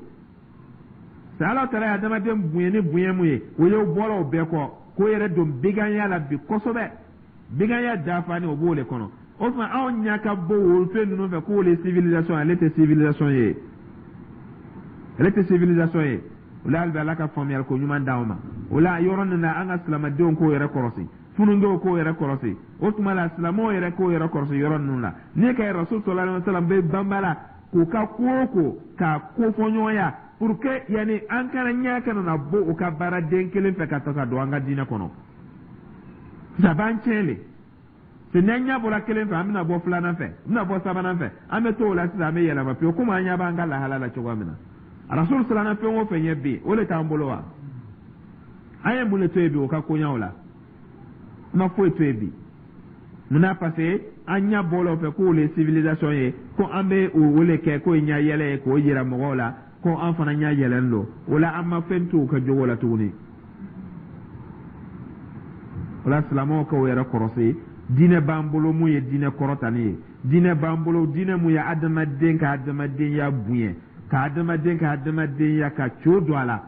Sa Ala taara ye adamaden bonya ni bonya mun ye, o ye bɔra o bɛɛ kɔ k'o yɛrɛ don biganya la bi kosɛbɛ, biganya dafalen o b'o le kɔnɔ. O tuma anw ɲɛ ka bɔ o fɛn ninnu fɛ k'o le civilisation, ale tɛ civilisation ye, ale tɛ civilisation ye. O la, hali bi Ala ka faamuyali ko ɲuman d'anw ma. O la, yɔrɔ nin na, an ka silamadenw k'o yɛrɛ kɔlɔsi, funundenw k'o yɛrɛ kɔlɔsi. O tuma la, silamɛw yɛrɛ k'o yɛrɛ kɔlɔsi yɔrɔ ninnu la. N'i ka Rasul sallallahu alaihi wasallam bɛ banba la k'u ka ko o ko k'a kofɔɲɔgɔnya pour que yanni an kana ɲɛ kana na bɔ u ka baaraden kelen fɛ ka ta ka don an ka diinɛ kɔnɔ, a b'an tiɲɛ le. Se n'an ɲɛ bɔra kelen fɛ, an bɛna bɔ filanan fɛ, an bɛna bɔ sabanan fɛ, an bɛ to o la sisan, an bɛ yɛlɛma pewu, komi an ɲɛ b'an ka lahala la cogoya min na. Rasul siranna fɛn o fɛn ɲɛ bi, o de t'an bolo wa? An ye mun de to yen bi o ka koɲaw la? An ma foyi to yen bi. Munna? Parce que an ɲɛ bɔla o fɛ k'o le civilisation ye, ko an bɛ o le kɛ k'o ye ɲɛ yɛlɛ ye, k'o yira mɔgɔw la ko an fana ɲɛ yɛlɛlen don. O la, an ma fɛn to u ka jogo la tuguni. O la, silamɛw k'o yɛrɛ kɔrɔsi. Diinɛ b'an bolo mun ye diinɛ kɔrɔtani ye, diinɛ b'an bolo, diinɛ mun ye adamaden ka adamadenya bonya, ka adamaden ka adamadenya ka co don a la,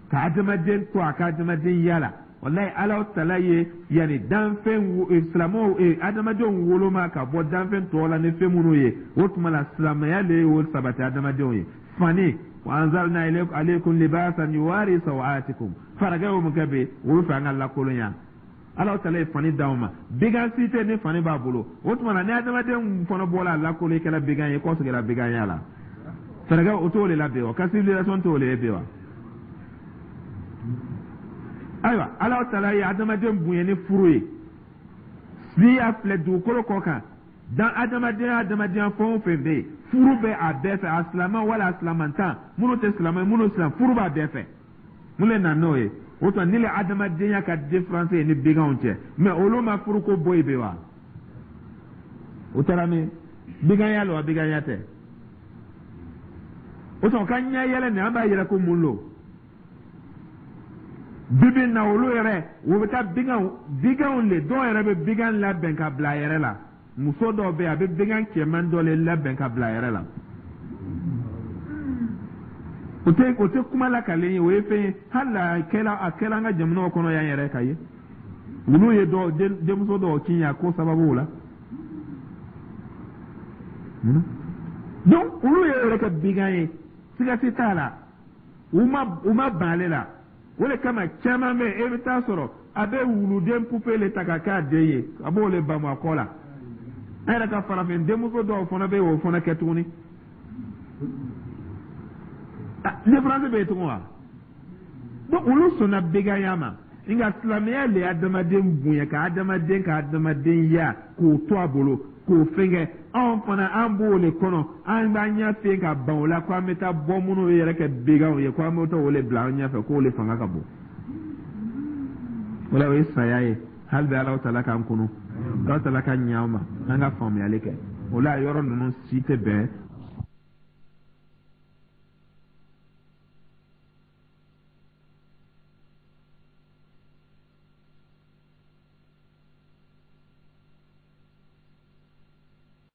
ka adamaden to a ka adamadenya la. Walayi, Ala tala ye yanni danfɛn silamɛw, adamadenw woloma ka bɔ danfɛn tɔw la ni fɛn minnu ye, o tuma la silamɛya le y'o sabati adamadenw ye. Fani wa anzalna alaykum libasan yuwari sawatikum, faragɛw mun kɛ bi olu fɛ, an ka lakolonya. Ala tala ye fani d'anw ma, bigan si tɛ ni fani b'a bolo. O tuma na ni adamaden fana bɔra a lakolo, i kɛra bigan ye, kɔsegira biganya la. Faragɛ o t'o de la bi wa? Ka civilisation t'o de ye bi wa? Ayiwa, Ala tala ye adamaden bonya ni furu ye. N'i y'a filɛ dugukolo kɔ kan, dan adamadenya fɛn o fɛn bɛ yen, furu bɛ a bɛɛ fɛ, a silamɛ wala a silamantan, minnu tɛ silamɛ, minnu silam, furu b'a bɛɛ fɛ. Mun de nana n'o ye? O tuma ni le adamadenya ka différence ye ni biganw cɛ. Mais olu ma furuko bɔ yen bi wa? O taara min biganya la wa? Biganya tɛ. O tuma ka ɲɛ yɛlɛ nin, an b'a yɛrɛ ko mun lo bibi na? Olu yɛrɛ, u bɛ taa biganw le, dɔw yɛrɛ bɛ bigan labɛn ka bila a yɛrɛ la. Muso dɔw bɛ yen, a bɛ bigan cɛman dɔ le labɛn ka bila a yɛrɛ la. O tɛ kuma lakalen ye, o ye fɛn ye. Hali a kɛla an ka jamanaw kɔnɔ yan yɛrɛ ka ye, olu ye dɔw denmuso dɔw kin a ko sababu la. Donc olu yɛrɛ kɛ bigan ye, siga si t'a la, u ma ban ale la. O de kama caman bɛ yen, e bɛ taa sɔrɔ a bɛ wuluden pupe le ta ka k'a den ye, a b'o le bamu a kɔ la. An yɛrɛ ka farafin denmuso dɔw fana bɛ yen, o fana kɛ tuguni. Différence bɛ yen tugun wa? Donc olu sɔnna biganya ma. Nka silamɛya le ye adamaden bonya, ka adamaden ka adamadenya k'o to a bolo, k'o fɛnkɛ. Anw fana, an b'o le kɔnɔ, an b'an ɲɛ fen ka ban o la, ko an bɛ taa bɔ minnu yɛrɛ kɛ biganw ye, ko an bɛ taa o le bila an ɲɛfɛ, k'o le fanga ka bon. O la, o ye saya ye. Hali bɛ Alahu taala k'an kunu, Alahu taala ka ɲɛ an ma, an ka faamuyali kɛ. O la, yɔrɔ ninnu si tɛ bɛn.